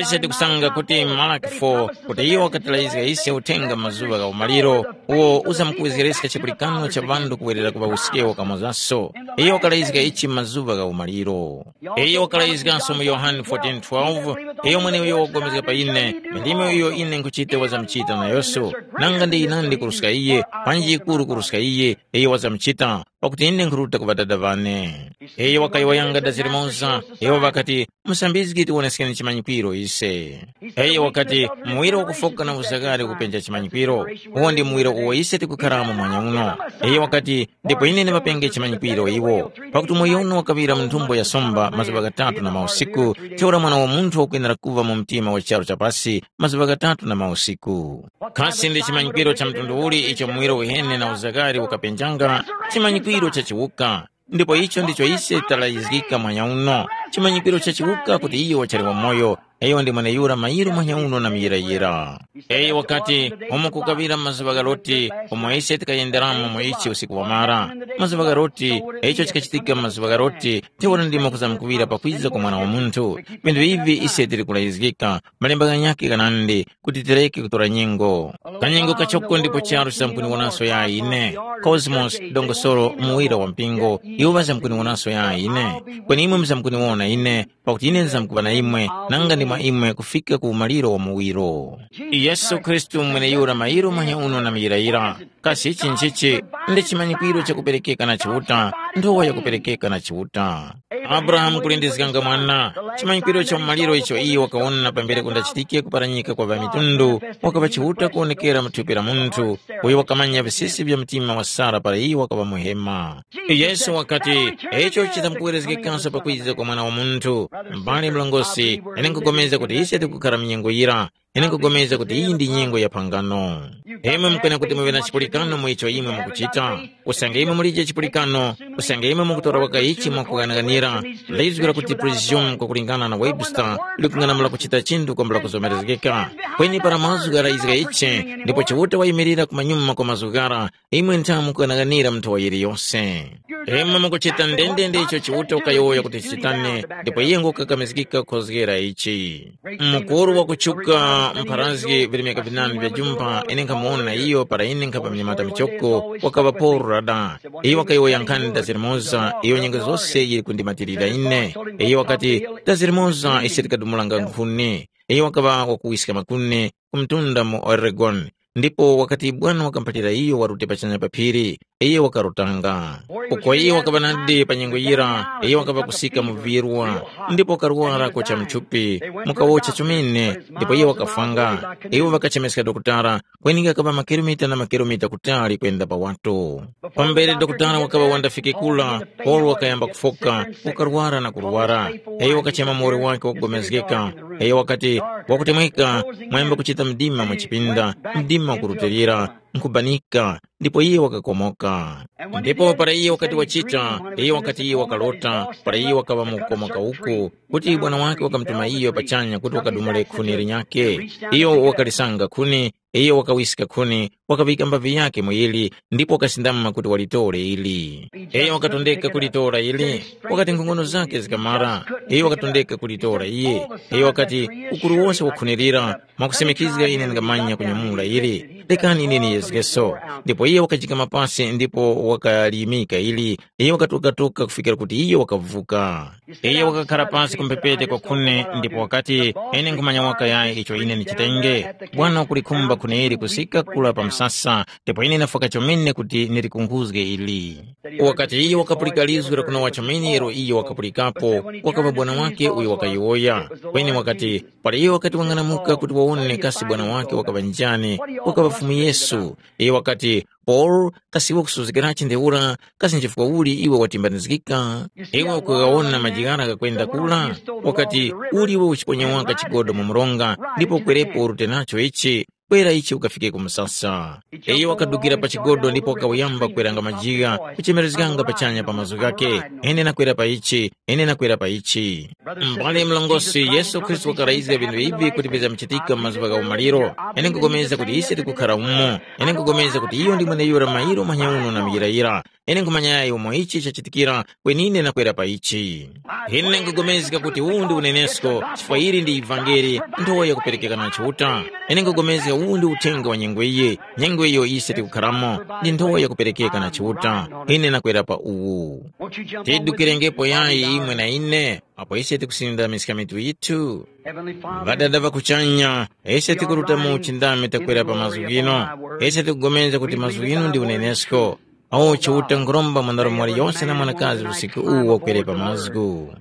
Ise tikusanga kuti Malaki four kuti iyo wakatilayizga ise uthenga mazuŵa gha umaliro, uwo uzamkuwezgereska chipulikano cha ŵanthu kuwerera ku ŵawuskewo kamozaso. Iyo wakalayizga ichi mazuŵa gha umaliro. Iyo wakalayizganso mu Yohane fourteen twelve, iyo mweneuyo wakupulikana pa ine, ndime uyo ine nkuchita wazamuchita nayose. Nanga ndi yinandi kuruska iye, panji yikuru kuruska iye, iyo wazamuchita, pakuti ine nkhuruta ku Ŵadada ŵane. Iyo wakayowoyanga dazi limoza, iwo ŵakati, “Musambizgi tiwoneskeni chimanyikwiro ise.” Iyo wakati, “Muwiro wakufoka na uzakari ukupenja chimanyikwiro, uwo ndi muwiro uwo ise tikukharamo mwanya uno.” Iyo wakati, “Ndipo ine ndiŵapenge chimanyikwiro iwo, pakuti umoyo uno wakaŵira mu nthumbo ya somba mazuŵa ghatatu na mausiku, ntheura Mwana wa Munthu wakwenera kuŵa mu mtima wa charu cha pasi mazuŵa ghatatu na mausiku.” Kasi ndi chimanyikwiro cha mtundu uli icho muwiro uheni na uzakari ukapenjanga? Chimanyikwiro cha chiwuka. Ndipo icho ndicho ise talayizgika mwanya uno, chimanyikwiro cha chiwuka kuti iyo wachali wamoyo, iyo ndi mweneyura mayiro mwanya uno na muyirayira. Eye wakati, umo kukaŵira mazuŵa gha Loti, umo ise tikayenderamo mu ichi usiku wamara. Mazuŵa gha Loti, icho chikachitika mazuŵa gha Loti, ntheura ndimo kuzamkuŵira pakwiza kwa Mwana wa Munthu. Vinthu ivi ise tili kulayizgika, malemba ghanyakhe ghanandi, kuti tireke kutora nyengo. Kanyengo kachoko ndipo charu chisamkuniwonanso ya ine. Cosmos, dongosolo, muwira wa mpingo, iwo ŵazamkuniwonanso ya ine. Kweni imwe muzamkuniwona ine, pakuti ine ndizamkuŵa na imwe, nanga ndi mwa imwe kufika ku umaliro wa muwiro. Yesu Khristu mweneyura mayiro manya uno na muyirayira. Kasi ichi nchichi? Ndi chimanyikwiro chakuperekeka na Chiuta, nthowa yakuperekeka na Chiuta. Abrahamu kulindizganga mwana, chimanyikwiro cha umaliro icho iyo wakawona pambere kundachitike kuparanyika kwa ŵamitundu, wakaŵa Chiuta kuwonekera mu thupi la munthu, uyo wakamanya visisi vya mtima wa Sara para iyo wakaŵa muhema. Yesu wakati, icho chitamkuwerezgekanso pakwiza kwa Mwana wa Munthu. Mbale mlongosi, ine nkupulikana kuti ise tikukhara mu nyengo yira, ine nkupulikana kuti iyi ndi nyengo ya phangano. Imwe mukwene kuti muŵe na chipulikano mu icho imwe mukuchita. Usange imwe mulije chipulikano, usange imwe mukutora waka ichi mwakughanaganira, ndayizgwira kuti prisium kwakulingana na Webster likung'anamula kuchita chinthu kwambula kuzomerezgeka. Kweni para mazgu ghalayizga ichi, ndipo Chiuta wayimirira kumanyuma kwa mazgu ghara, imwe nthamu mukughanaganira mnthowa yiliyose. Imwe mukuchita ndendende icho Chiuta ukayowoya kuti chitane, ndipo iye ngukakamizgika kukhozgera ichi. Mukuru wakuchuka mpharazgi virimika vinanu vya jumpa ine nkhamuwona iyo para ine nkhapa minyamata michoko, wakaŵa Paulo rada. Iyo wakayowoya nkhani dazirimoza iyo nyengo zose yili kundimatirira ine. Iyo wakati, dazirimoza ise tikadumulanga nkhuni. Iyo wakaŵa wakuwiska makuni ku mtunda mu Oregon. Ndipo wakati bwana wakamphalira iyo warute pachanya pa phiri, iyo wakarutanga. Uko iyo wakaŵa nadi pa nyengo yira, iyo wakaŵa kusika mu virwa, ndipo wakarwara kocha mthupi, mukawocha chomene, ndipo iyo wakafwanga. Iwo ŵakachemeska dokotala, kweni ghakaŵa makilomita na makilomita kutali kwenda pa watu. Pambere dokotala wakaŵa wandafike kula, Paulo wakayamba kufoka, wakarwara na kurwara. Iyo wakachema muwoli wake wakugomezgeka, Iyo wakati, wakutemweka, mwayamba kuchita mdima mu chipinda, mdima ukurutilira, nkhubanika, ndipo iye wakakomoka. Ndipo para iye wakati wachita, iye wakati iye wakalota, para iye wakaŵa mu kukomoka uku, kuti bwana wake wakamutuma iyo pachanya kuti wakadumule khuni linyakhe. Iyo wakalisanga khuni, iyo wakawiska khuni, wakaŵika mbavi yakhe mu yili, ndipo wakasindama kuti walitore ili. Iyo wakatondeka kulitora ili, wakati nkhongono zakhe zikamara, iyo wakatondeka kulitora iye. Iyo wakati, ukuru wose wakhunirira, mwakusemekizga ine ndingamanya kunyamula ili, lekani ine niyezgeso. Ndipo iye wakajikama pasi ndipo wakaliyimika ili, iye wakatuka-tuka kufikira kuti iye wakavuka. Iye wakakhara pasi kumphepete kwa khune ndipo wakati, ine nkhumanya waka yayi icho ine ndichitenge. Bwana wakulikhumba khune ili kusika kula pa msasa, ndipo ine ndafwaka chomene kuti ndilikunkhuzge ili. Wakati iye wakapulika lizwi la kunowa chomene ilo iye wakapulikapo, wakaŵa bwana wake uyo wakayowoya. Kweni wakati, para iye wakati wang'anamuka kuti wawone kasi bwana wake wakaŵa njani, wakaŵa Fumu Yesu. Iye wakati, Paul, kasi iwe kusuzgirachi ntheura, kasi nchifukwa uli iwe watimbanizgika? Iwe ukugawona majigara ghakwenda kula? Wakati, uli iwe uchiponya waka chigodo mu mronga, ndipo kwerepo urute nacho ichi, kwera ichi ukafike ku msasa. Iyo wakadukira pa chigodo ndipo wakawuyamba kweranga majiga, kuchemerezganga pachanya pa mazgu ghakhe, ine nakwera pa ichi, ine nakwera pa ichi. Mbale mlongosi, Yesu Khristu wakarayizga vinthu ivi kuti vizamchitika mu mazuŵa gha umaliro. Ine nkupulikana kuti ise tikukhara umo. Ine nkupulikana kuti iyo ndi mweneyura mayiro manyauno na muyirayira. Ine nkhumanya yayi umo ichi chachitikira, kweni ine nakwera pa ichi. Ine nkupulikana kuti uwu ndi unenesko, chifukwa ili ndi ivangeli, nthowa yakuperekeka na Chiuta. Ine nkupulikana uwu ndi uthenga wa nyengo iyi, nyengo iyo ise tikukharamo, ndi nthowa yakuperekeka na Chiuta. Ine nakwera pa uwu. Tidukirengepo yayi imwe na ine, apo ise tikusindamiska mitu yithu. Ŵadada ŵa kuchanya, ise tikuruta mu uchindami takwera pa mazgu ghino. Ise tikupulikana kuti mazgu ghino ndi unenesko. Awo Chiuta nkhuromba mwanarume waliyose na mwanakazi usiku uwu wakwere pa mazgu.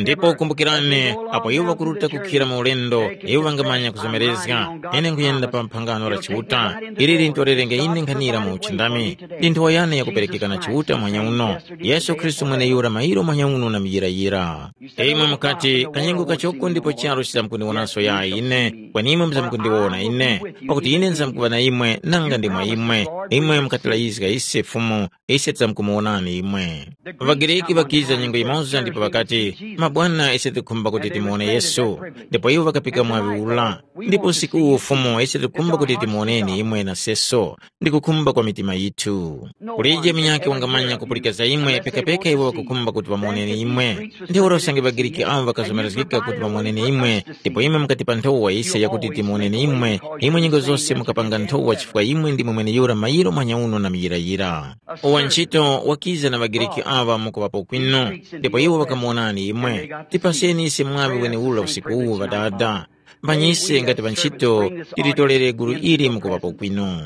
Ndipo kumbukirani, apo iwo ŵakuruta kukhira mu ulendo, iwo ŵangamanya kuzomerezga. Ine nkhuyenda pa phangano la Chiuta, ili lintorerenge ine nkhanira mu uchindami. Ndi nthowa yane yakuperekeka na Chiuta mwanya uno. Yesu Khristu mweneyura mayiro mwanya uno na muyirayira. Imwe mukati, kanyengo kachoko ndipo charu chizamkundiwonanso yayi ine, kweni imwe muzamkundiwona ine, pakuti ine nzamkuŵa na imwe nanga ndi mwa imwe. Imwe mukatilayizga ise Fumu, ise tizamkumuwonani imwe. ޛaGriki ŵakiza nyengo yimoza ndipo ŵakati, mabwana ise tikukhumba kuti timuwone Yesu. Ndipo iwo ŵakapika mwaŵi ula. Ndipo usiku uwu Fumu ise tikukhumba kuti timuwoneni imwe na seso. Ndi kukhumba kwa mitima yithu. Kulije munyakhe wangamanya kupulika za imwe pekapeka iwo ŵakukhumba kuti ŵamuwoneni imwe. Ntheura usange ŵaGriki awo ŵakazomerezgika kuti ŵamuwoneni imwe, ndipo imwe mukati pa nthowa ise yakuti timuwoneni imwe, imwe nyengo zose mukapanga nthowa chifukwa imwe ndimwe mweneyura mayiro manyauno na muyirayira. Uwa ntchito wakiza na ŵaGriki awa mukuŵapo kwinu, ndipo iwo ŵakamuwonani imwe. Tipaseni ise mwaŵi wenewura usiku uwu ŵadada. Mpanyise ngati ŵantchito, tilitorere gulu ili mukuŵapo kwinu.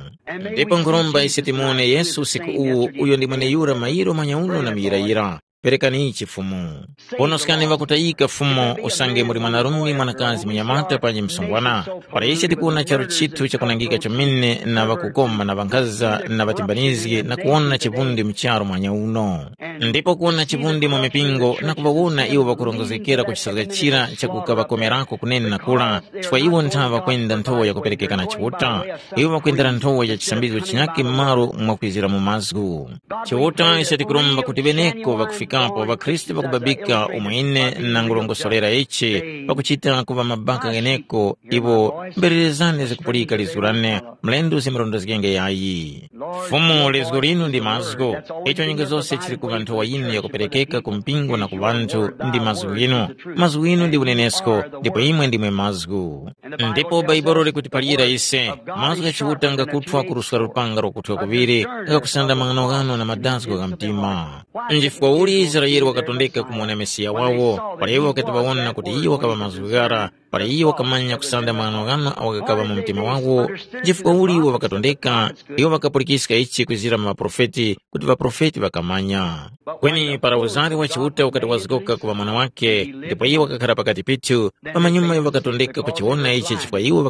Ndipo nkhuromba ise timuwone Yesu usiku uwu, uyo ndi mweneyura mayiro manyauno na muyirayira. Perekani ichi Fumu. Ponoskani ŵakutayika Fumu, usange muli mwanarume mwanakazi munyamata panji msungwana. Para ise tikuwona charu chithu chakunangika chomene na ŵakukoma na ŵankhaza na ŵatimbanizgi na kuwona chivundi mu charu mwanya uno. Ndipo kuwona chivundi mu mipingo na kuŵawona iwo ŵakurongozgekera ku chisazga chira chakukaŵakomerako kunene na kura, chifukwa iwo nthaŵa kwenda nthowa yakuperekeka na Chiuta, iwo ŵakwendera nthowa ya chisambizgo chinyakhe m'malo mwakwizira mu mazgu. Chiuta ise tikuromba kuti ŵeneko ŵakufikapo ŵakhristu ŵakubabika umo ine nangulongosolera ichi, pakuchita kuŵa mabaka gheneko iwo mbererezane zakupulika lizgu lane, mlendo zimarondezgenge yayi. Fumu lizgu linu ndi mazgu, icho nyengo zose chili kuŵa nthowa yinu yakuperekeka ku mpingo na ku ŵanthu ndi mazgu ghinu. Mazgu ghinu ndi unenesko, ndipo imwe ndimwe mazgu. Ndipo Bhaibuli likutiphalira ise, mazgu gha Chiuta ngakuthwa kuruswa lupanga lwakuthwa kuŵiri, ngakusanda mang'anoghano na madazgo gha mtima. Nchifukwa uli Israele wakatondeka kumuwona Mesiya wawo, para iwo ŵakati ŵawona kuti iyo wakaŵa mazgu ghara, para iyo wakamanya kusanda mang'anoghano awo ghakaŵa mu mtima wawo, nchifukwa uli iwo ŵakatondeka, iwo ŵakapulikiska ichi kwizira mu ŵaprofeti, kuti ŵaprofeti ŵakamanya. Kweni para uzari wa Chiuta ukati wazgoka kuŵa mwana wake, ndipo iye wakakhara pakati pithu, pamanyuma iwo ŵakatondeka kuchiwona ichi chifukwa iwo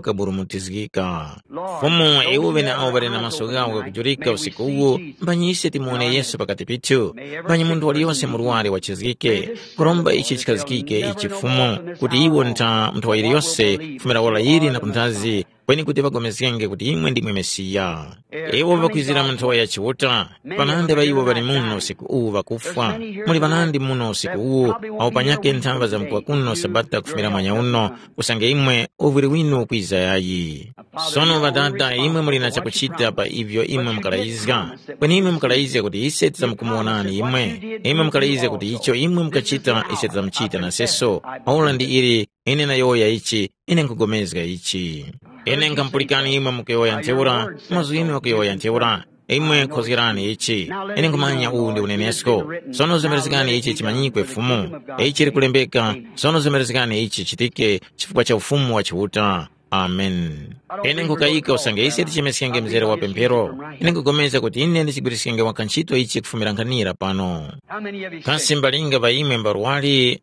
ŵakaburumutizgika. Fumu, iwo ŵeneawo ŵali na maso ghawo ghakujurika usiku uwu, mphanyi ise timuwone Yesu pakati pithu, mphanyi munthu waliyose murwari wachizgike, kuromba ichi chikhazikike ichi Fumu, kuti iwo ntha munthu nthowa yiliyose kufumira ora yili na kunthazi, kweni kuti ŵagomezgenge kuti imwe ndimwe Mesiya. Iwo ŵakwizira mu nthowa ya Chiuta, panandi ŵa iwo ŵali muno usiku uwu ŵakufwa. Muli ŵanandi muno usiku uwu, awo panyakhe nthamba zamkuŵa kuno Sabata kufumira mwanya uno, usange imwe uvwiri winu ukwiza yayi. Sono Ŵadada, imwe muli na chakuchita pa ivyo imwe mukalayizga. Kweni imwe mukalayizga kuti ise tidzamkumuwonani imwe. Imwe mukalayizga kuti icho imwe mukachita ise tidzamuchita naseso. Ora ndi ili, ine nayowoya ichi, ine nkhupulikana ichi. Ine nkhamupulikani imwe mukuyowoya ntheura, mazgu inu ghakuyowoya ntheura. Imwe khozgerani ichi. Ine nkhumanya uwu ndi unenesko. Sono zemerezgani ichi chimanyikwe Fumu. Ichi likulembeka, sono zemerezgani ichi chichitike chifukwa cha ufumu wa Chiuta. Amen. Ine nkhukayika usange ise tichemeskenge mzere wa pemphero. Ine nkhugomeza kuti ine ndichigwiriskenge waka ntchito ichi kufumira nkhanira pano. Kasi mbalinga pa imwe mbarwali?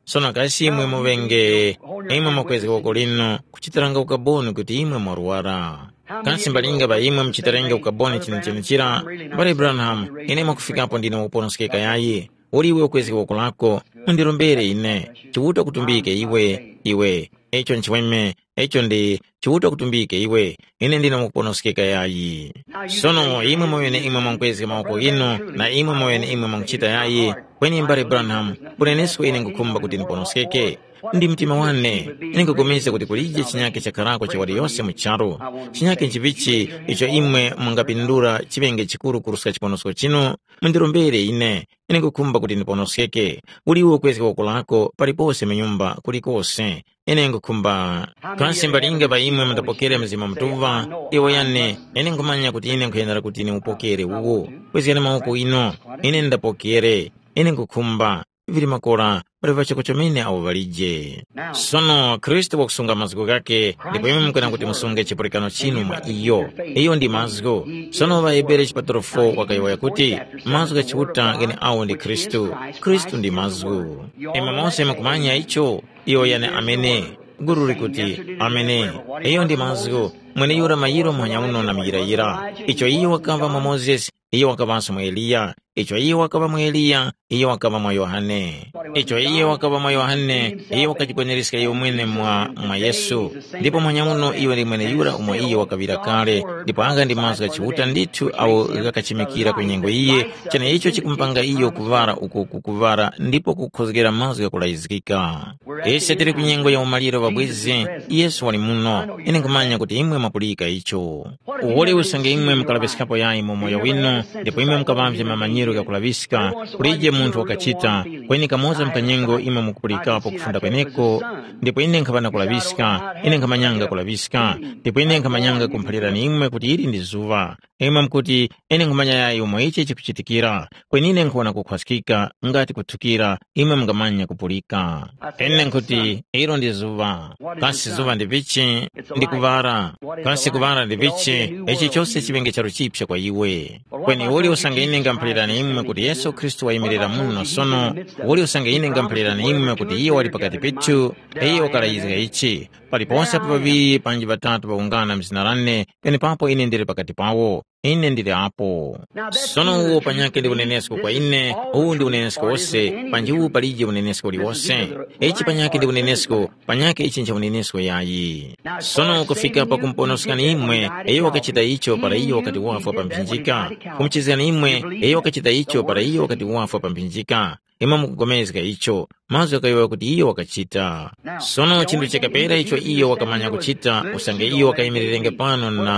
Sono kasi imwe muŵenge, imwe mwakwezga woko linu kuchitiranga ukaboni kuti imwe mwarwara? Kasi mbalinga pa imwe muchitirenge ukaboni chenechene chira? Mbale Branham, ine mwakufikapo ndine wakuponoskeka yayi. Uli iwe ukwezga woko lako, undirombere ine. Chiuta kutumbike iwe, iwe. Icho nchimweme, icho ndi Chiuta kutumbike iwe. Ine ndine wakuponoskeka yayi. Sono imwe mweneimwe mwankwezga mawoko ghinu, na imwe mweneimwe mwankuchita yayi. Kweni mbale Branham, unenesko ine ngukhumba kuti ndiponoskeke. Ndi mtima wane, ine nkupulikana kuti kulije chinyake chakharako cha waliyose mu charu. Chinyake nchivichi icho imwe mungapindula chiŵenge chikuru kuruska chiponosko chinu? Mundirombere ine. Ine nkukhumba kuti ndiponoskeke. Uli iwe ukwezga woko lako palipose mu nyumba kulikose. Ine nkukhumba. Kasi mbalinga pa imwe mundapokere Mzimu Mutuŵa? Iwo yane, ine nkhumanya kuti ine nkhuyenera kuti niupokere uwo. Kwezgani mawoko ino. Ine ndapokere. Ine nkukhumba. Vili makora, pali ŵachoko chomene awo ŵalije. Sono Khristu wakusunga mazgu ghakhe, ndipo imwe mukwena kuti musunge chipulikano chinu mwa iyo. Iyo ndi mazgu. Sono ŵaHebere chipatulo fo wakayowoya kuti, mazgu gha Chiuta ghene awo ndi Khristu. Khristu ndi mazgu. Imwe mose mukumanya icho? Iyo yane amene. Guru likuti, amene. Iyo ndi mazgu. Mweneyura mayiro muhanya uno na muyirayira. Icho iyo wakava mwa Mozesi, iyo wakaŵanso mwa Eliya. Icho iyo wakaŵa mwa Eliya, iyo wakaŵa mwa Yohane. Icho iyo wakaŵa mwa Yohane, iyo wakajikweneriska iyo mwene mwa, mwa Yesu. Ndipo muhanya uno iyo ndi mweneyura umo iyo wakaŵira kale, ndipo agha ndi mazgu gha Chiuta ndithu awo ghakachimikira ku nyengo iye, cheneicho chikumupanga iyo kuŵala uko kukuŵala ndipo kukhozgera mazgu ghakulayizgika. Ise tili ku nyengo ya umaliro ŵabwezi, Yesu wali muno. Ine nkhumanya kuti imwe mwapulika icho. Uwoli usange imwe mukalaŵiskapo yayi mu moyo winu, ndipo imwe mukaŵavye mamanyiro ghakulaŵiska, kulije munthu wakachita, kweni kamoza mkanyengo imwe mukupulikapo kufunda kweneko, ndipo ine nkhaŵa na kulaŵiska, ine nkhamanyanga kulaŵiska, ndipo ine nkhamanyanga kumuphalirani imwe kuti ili ndi zuŵa. Imwe mukuti, ine nkhumanya yayi umo ichi chikuchitikira, kweni ine nkhuwona kukhwaskika ngati kuthukira, imwe mungamanya kupulika. Ine nkhuti, ilo ndi zuŵa. Kasi zuŵa ndi vichi? Ndi kuŵala. Kasi kuŵala ndi vichi? Ichi chose chiŵenge charu chipya kwa iwe. Kweni uli usange ine ngamuphalirani imwe kuti Yesu Khristu wayimirira muno sono, uli usange ine ngamuphalirani imwe kuti iyo wali pakati pethu, iyo wakalayizga ichi, paliponse apo ŵaŵiri panji ŵatatu ŵawungana m'zina lane, penepapo ine ndili pakati pawo. Ine ndili apo. Sono uwo panyakhe ndi unenesko kwa ine, uwu ndi unenesko wose, panji uwu palije unenesko uliwose. Ichi panyakhe ndi unenesko, panyakhe ichi ncha unenesko yayi. Sono kufika pakumuponoskani imwe, iyo wakachita icho para iyo wakati wafwa pa mphinjika. Kumuchizgani imwe, iyo wakachita icho para iyo wakati wafwa pa mphinjika. Imwe mukugomezga icho, mazgu ghakuyowoya kuti iyo wakachita. Sono chinthu chakapera icho iyo wakamanya kuchita, usange iyo wakayimirirenge pano na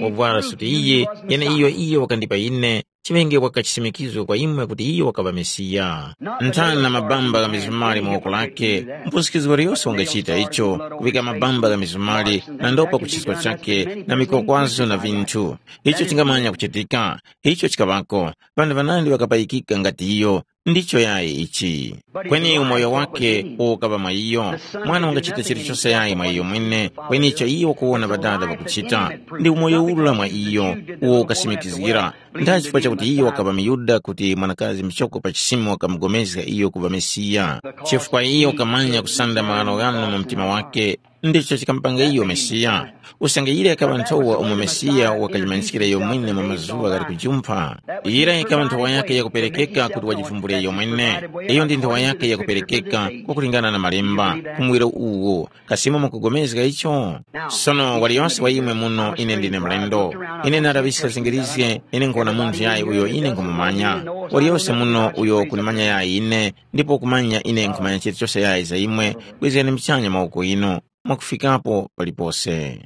wavwara suti iyi, yeneiyo iyo wakandipa ine, chiŵenge waka chisimikizgo kwa imwe kuti iyo wakaŵa Mesiya. Nthani na mabamba gha mizumali mu woko lake, mpusikizgo waliyose wangachita icho, kuŵika mabamba gha mizumali na ndopa ku chisko chake na mikwakwazo na vinthu. Icho chingamanya kuchitika, icho chikaŵako, ŵanthu ŵanandi ŵakapayikika ngati iyo, ndicho yayi ichi. Kweni umoyo wake ukaŵa mwa iyo. Mwana wangachita chilichose yayi mwa iyo mwene, kweni icho iyo wakuwona Ŵadada ŵakuchita, ndi umoyo ula mwa iyo, uwo ukasimikizgira. Ndachifukwa chakuti iyo wakaŵa muYuda kuti mwanakazi muchoko pa chisimo wakamugomezga iyo kuŵa Mesiya. Chifukwa iyo wakamanya kusanda maghano ghano mu mtima wake, Ndicho chikamupanga iyo Mesiya. Usange yira yakaŵa nthowa umo Mesiya wakajimanyiskira iyo mwene mu mazuŵa ghali kujumpha. Yira yikaŵa nthowa yake yakuperekeka kuti wajivumbule iyo mwene. Iyo ndi nthowa yake yakuperekeka, kwakulingana na malemba, ku muwiro uwu. Kasimo mukugomezga icho? Sono waliyonse wa imwe muno, ine ndine mlendo. Ine naraŵiska zingirizge, ine nkuwona munthu yayi uyo ine nkhumumanya. Waliyonse muno uyo kunimanya yayi ine, ndipo kumanya ine nkhumanya chilichose yayi za imwe, kwizgani muchanya mawoko inu, mwakufikapo palipose.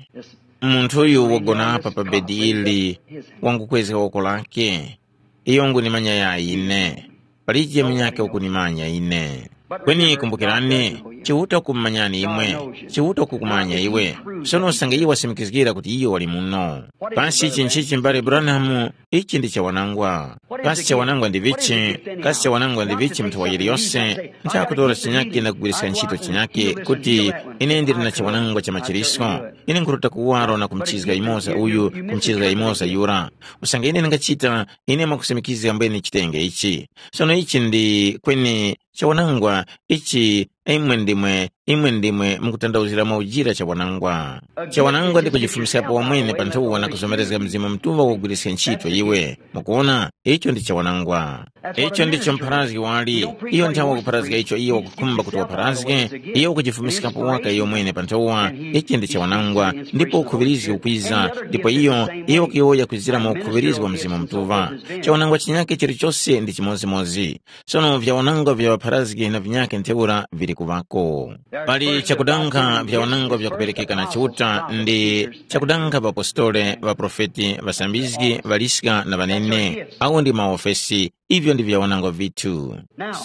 Munthuyu wagona apa pa bedi ili, wangukwezga woko lake. Iyo ngunimanya yayi ine. Palije munyakhe ukunimanya ine. Kweni kumbukirani, Chiuta kumumanyani imwe, Chiuta kukumanya iwe. Sono usange iye wasimikizgira kuti iyo wali muno. Pansi chinchichi mbale Branham, ichi ndi chawanangwa. Kasi chawanangwa ndi vichi? Kasi chawanangwa ndi vichi mnthu wa yiliyose? Ntha kutora chinyake na kugwiriska ntchito chinyake kuti ine ndili na chawanangwa cha machiriso. Ine nkhuruta kuwaro na kumchizga imoza uyu, kumchizga imoza yura. Usange ine ndingachita, ine mwakusimikizga mbwene chitenge ichi. Sono ichi ndi kweni chawanangwa ichi, imwe ndimwe, imwe ndimwe mukutandauzira mwaujira chawanangwa. Chawanangwa ndi kujifumiskapo wamwene pa nthowa na kuzomerezga Mzimu Mutuŵa wogwiriska ntchito iwe. Mukuona, icho ndi chawanangwa. Icho ndicho mpharazgi wali. Iyo nthawi wakupharazga icho iyo wakukhumba kuti wapharazge, iyo ukujifumiskapo waka iyo mwene pa nthowa. Ichi ndi chawanangwa, ndipo ukhuŵirizgi ukwiza, ndipo iyo, iyo wakuyowoya kwizira mu ukhuŵirizgi wa Mzimu Mutuŵa. Chawanangwa chinyake chilichose ndi chimodzimodzi. Sono vyawanangwa vya ŵapharazgi na vinyakhe ntheura vili kuŵako. Pali chakudankha vyawanangwa vyakuperekeka na Chiuta ndi chakudankha ŵapostole, ŵaprofeti, ŵasambizgi, ŵaliska na ŵanene. Awo ndi maofesi, ivyo ndi vyawanangwa vithu.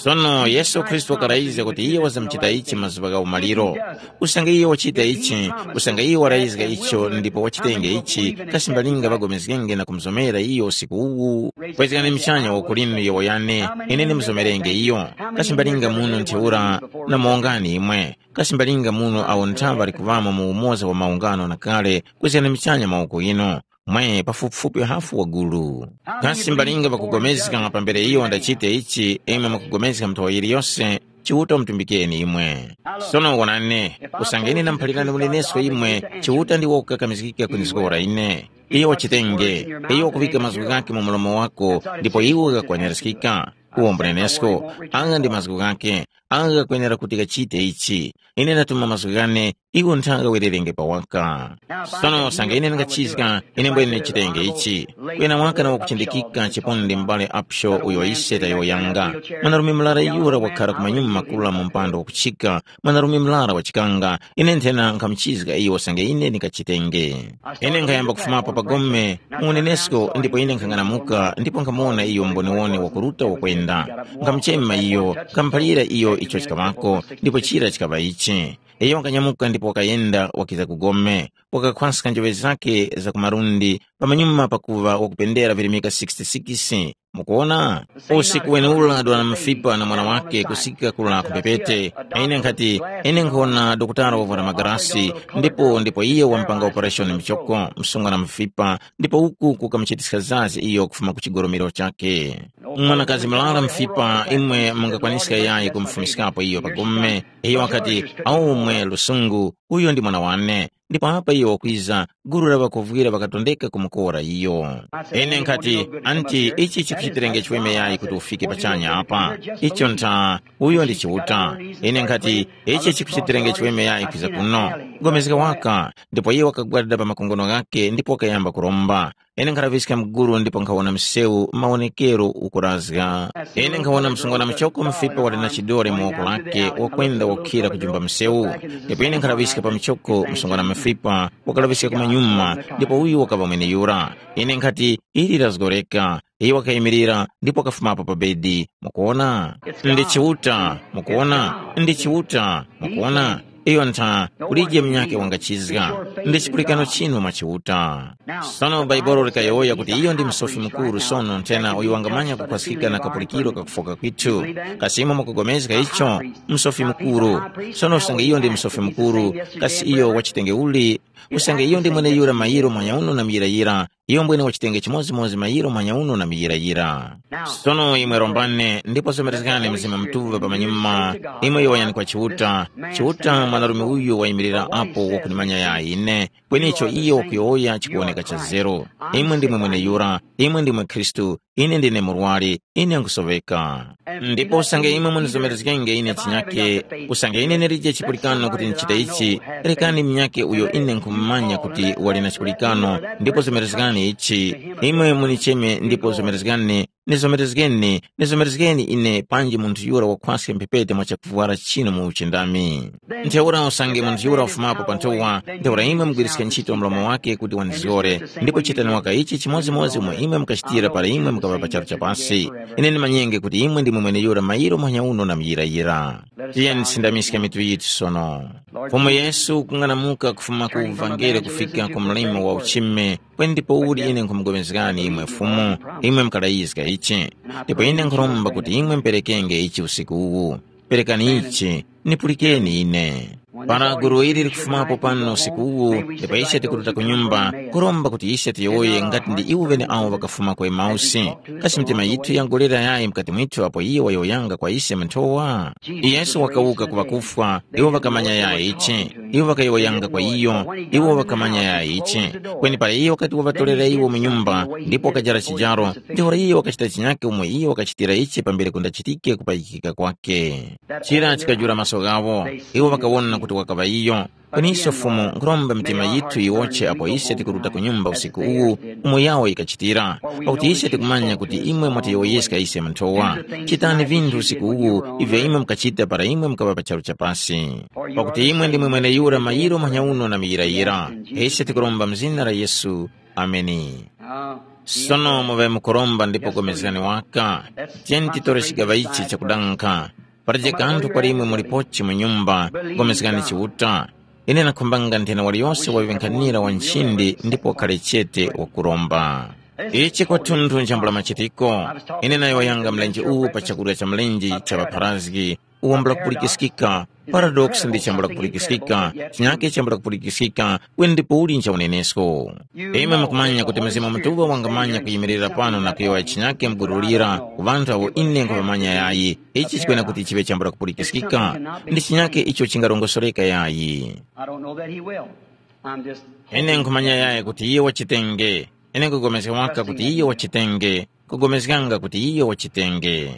Sono Yesu Khristu wakarayizga kuti iye wazamuchita ichi mazuŵa gha umaliro. Usange iye wachita ichi, usange iye warayizga icho ndipo wachitenge ichi, kasi mbalinga ŵagomezgenge na kumuzomera iyo usiku uwu? Kwezgani mchanya wakulinu yewo yane, ine ndimuzomerenge iyo. Kasi mbalinga muno ntheura na mawongani imwe? Kasi mbalinga muno awo nthaŵa ali kuŵamo mu umoza wa maungano na kale, kwezgani mchanya mawoko inu. Mwe pafupifupi hafu wa gulu. Kasi mbalinga ŵakugomezga pambere iyo ndachite ichi, imwe mukugomezga mnthowa yiliyose, Chiuta umutumbikeni imwe. Sono wonani, usange ine ndamuphalirani unenesko imwe, Chiuta ndiwo kukakamizgika kunizgora ine. Iyo wachitenge, iyo wakuŵika mazgu ghakhe mu mlomo wako, ndipo iwe ghakwaniraskika. Uwo mbunenesko, agha ndi mazgu ghakhe, agha ghakwenera kuti ghachite ichi. Ine ndatuma mazgu ghane, iwo nthanga wererenge pawaka. Sono usange ine ndingachizga, ine mbwene ndichitenge ichi. Kuyana waka na wakuchindikika chipondi m'bale Apsho uyo ise tayowoyanga. Mwanarume murara yura wakhara ku manyuma makula mu mpando wakuchika, mwanarume murara wachikanga, ine nthena nkhamuchizga iyo usange ine ndingachitenge. Ine nkhayamba kufumapo pa gome, mu unenesko, ndipo ine nkhang'anamuka ndipo nkhamuwona iyo mboniwone wakuruta wakwenda. Nkhamuchema iyo, nkhamuphalira iyo icho chikaŵako, ndipo chira chikaŵa ichi. Iyo wakanyamuka ndipo wakayenda wakiza ku gome, wakakhwaska njoŵe zakhe za ku malundi, pamanyuma pakuŵa wakupendera virimika sixty-six. Mukuwona? Usiku wenewura dwana mafipa na mwana wake kusika kula ku mphepete. Ine nkhati, ine nkhona dokotala wavwara magarasi, ndipo ndipo iye wampanga operation mchoko, msungwana mafipa, ndipo uku kukamuchitiska zazi iyo kufuma ku chigoromero chakhe. Mwanakazi mulala mfipa, imwe mungakwaniska yayi kumufumiskapo iyo pa gome. Iyo wakati, aumwe lusungu, uyo ndi mwana wane. Ndipo apa iyo wakwiza, gulu la ŵakovwira ŵakatondeka kumukora iyo. Ine nkhati, anti ichi chikuchitirenge chiweme yayi kuti ufike pachanya apa? Icho ntha, uyo ndi Chiuta. Ine nkhati, ichi chikuchitirenge chiweme yayi kwiza kuno? Gomezga waka. Ndipo iye wakagwada pa makongono ghakhe ndipo wakayamba kuromba. Ine nkhalaŵiska mguru ndipo nkhawona msewu mawonekero ukurazga. Ine nkhawona msungwana muchoko mufipa wali na chidore mu woko lake wakwenda wakhira kujumba msewu. Ndipo ine nkhalaŵiska pa muchoko msungwana mufipa wakalaŵiska kumanyuma, ndipo uyu wakaŵa mweneyura. Ine nkhati, ili lazgoreka. Iye wakayimirira ndipo wakafumapo pa bedi. Mukuona? Ndi Chiuta. Mukuona? Ndi Chiuta. Mukuona? Iyo ntha kulije munyakhe wangachizga. Ndi chipulikano chinu mwa Chiuta. Sono Bhaibuli likayowoya kuti iyo ndi Musofi Mukuru sono nthena uyo wangamanya kukhwaskika na kapulikiro kakufoka kwithu. Kasi imwe mukugomezga icho? Musofi Mukuru. Sono usange iyo ndi Musofi Mukuru, kasi iyo wachitenge uli? Usange iyo ndi mweneyura mayiro muhanya uno na muyirayira, iyo mbwene wachitenge chimodzimodzi mayiro muhanya uno na muyirayira. Sono imwe rombani ndipo somerezgani Mzimu Mutuŵa pamanyuma, imwe yowoyani kwa Chiuta, Chiuta mwanarume uyu wayimirira apo wakunimanya ya ine, kweni icho iyo wakuyowoya chikuwoneka cha zeru. Imwe ndimwe mweneyura, imwe ndimwe Khristu, ine ndine murwari, ine nkhusoveka. Ndipo usange imwe munizomerezgenge ine chinyake, usange ine ndilije chipulikano kuti ndichite ichi, rekani munyakhe uyo ine nkhumumanya kuti wali na chipulikano, ndipo zomerezgani ichi. Imwe municheme ndipo zomerezgani, nizomerezgeni, nizomerezgeni ine panji munthu yura wakhwaska mphepete mwa chakuvwara chinu mu uchindami. Ntheura usange munthu yura wafumapo pa nthowa, ntheura imwe mugwiriske ntchito mlomo wake kuti wanizgore, ndipo chitani waka ichi chimodzimodzi umo imwe mukachitira para imwe mukaŵa pa charu cha pasi. Ine ndimanyenge kuti imwe ndimwe mweneyura mayiro muhanya uno na muyirayira. Tiyeni tisindamiske mitu yithu sono. Fumu Yesu kung'anamuka kufuma ku uvangeli kufika ku mlimo wa uchime, kweni ndipo uli ine nkhumupulikana imwe Fumu, imwe mukalayizga ichi. Ndipo ine nkhuromba kuti imwe muperekenge ichi usiku uwu. Perekani ichi, nipulikeni ine. Para gulu ili likufumapo pano usiku uwu, ndipo ise tikuruta ku nyumba, kuromba kuti ise tiyowoye ngati ndi iwo ŵeneawo ŵakafuma ku Emausi. Kasi mitima yithu yangolera yayi mukati mwithu apo iyo wayowoyanga kwa ise mu nthowa? Yesu wakawuka ku ŵakufwa, iwo ŵakamanya yayi ichi. Iwo ŵakayowoyanga kwa iyo, iwo ŵakamanya yayi ichi. Kweni para iyo wakati waŵatorera iwo mu nyumba, ndipo wakajara chijaro, ntheura iyo wakachita chinyake umo iyo wakachitira ichi pambere kundachitike kupayikika kwake. Chira chikajula maso ghawo, iwo ŵakawona kuti wakaŵa iyo. Kweni ise Fumu, nkhuromba mitima yithu yiwoche apo ise tikuruta ku nyumba usiku uwu, umo yawo yikachitira, pakuti ise tikumanya kuti imwe mwatiyowoyeska ise mu nthowa. Chitani vinthu usiku uwu ivyo imwe mukachita para imwe mukaŵa pa charu cha pasi. Pakuti imwe ndimwe mweneyura mayiro manyauno na muyirayira. Ise tikuromba mu zina la Yesu. Ameni. Sono muŵe mukuromba ndipo pulikani waka. Tiyeni titore chigaŵa ichi chakudankha. Palibe kanthu kwa imwe mulipochi mu nyumba, pulikani Chiuta. Ine nakhumbanga nthena waliyose waŵe nkhanira wa nchindi ndipo wakhare chete wakuromba. Ichi kwathunthu nchambula machitiko. Ine nayowoyanga mlenje uwu pa chakurya cha mlenje cha ŵapharazgi, uwambula kupulikiskika. Paradox ndi chambula kupulikiskika, chinyake chambula kupulikiskika, kweni ndipo uli ncha unenesko. Imwe mukumanya kuti Mzimu Mutuŵa wangamanya kuyimirira pano na kuyowoya chinyake mgurulira ku ŵanthu awo ine nkhuvamanya yayi. Ichi chikwena kuti chiŵe chambula kupulikiskika. Ndi chinyake icho chingarongosoreka yayi. I don't know that he will. I'm just Ine nkhumanya yayi kuti iye wachitenge. Ine nkugomezga waka kuti iye wachitenge, kugomezganga kuti iye wachitenge.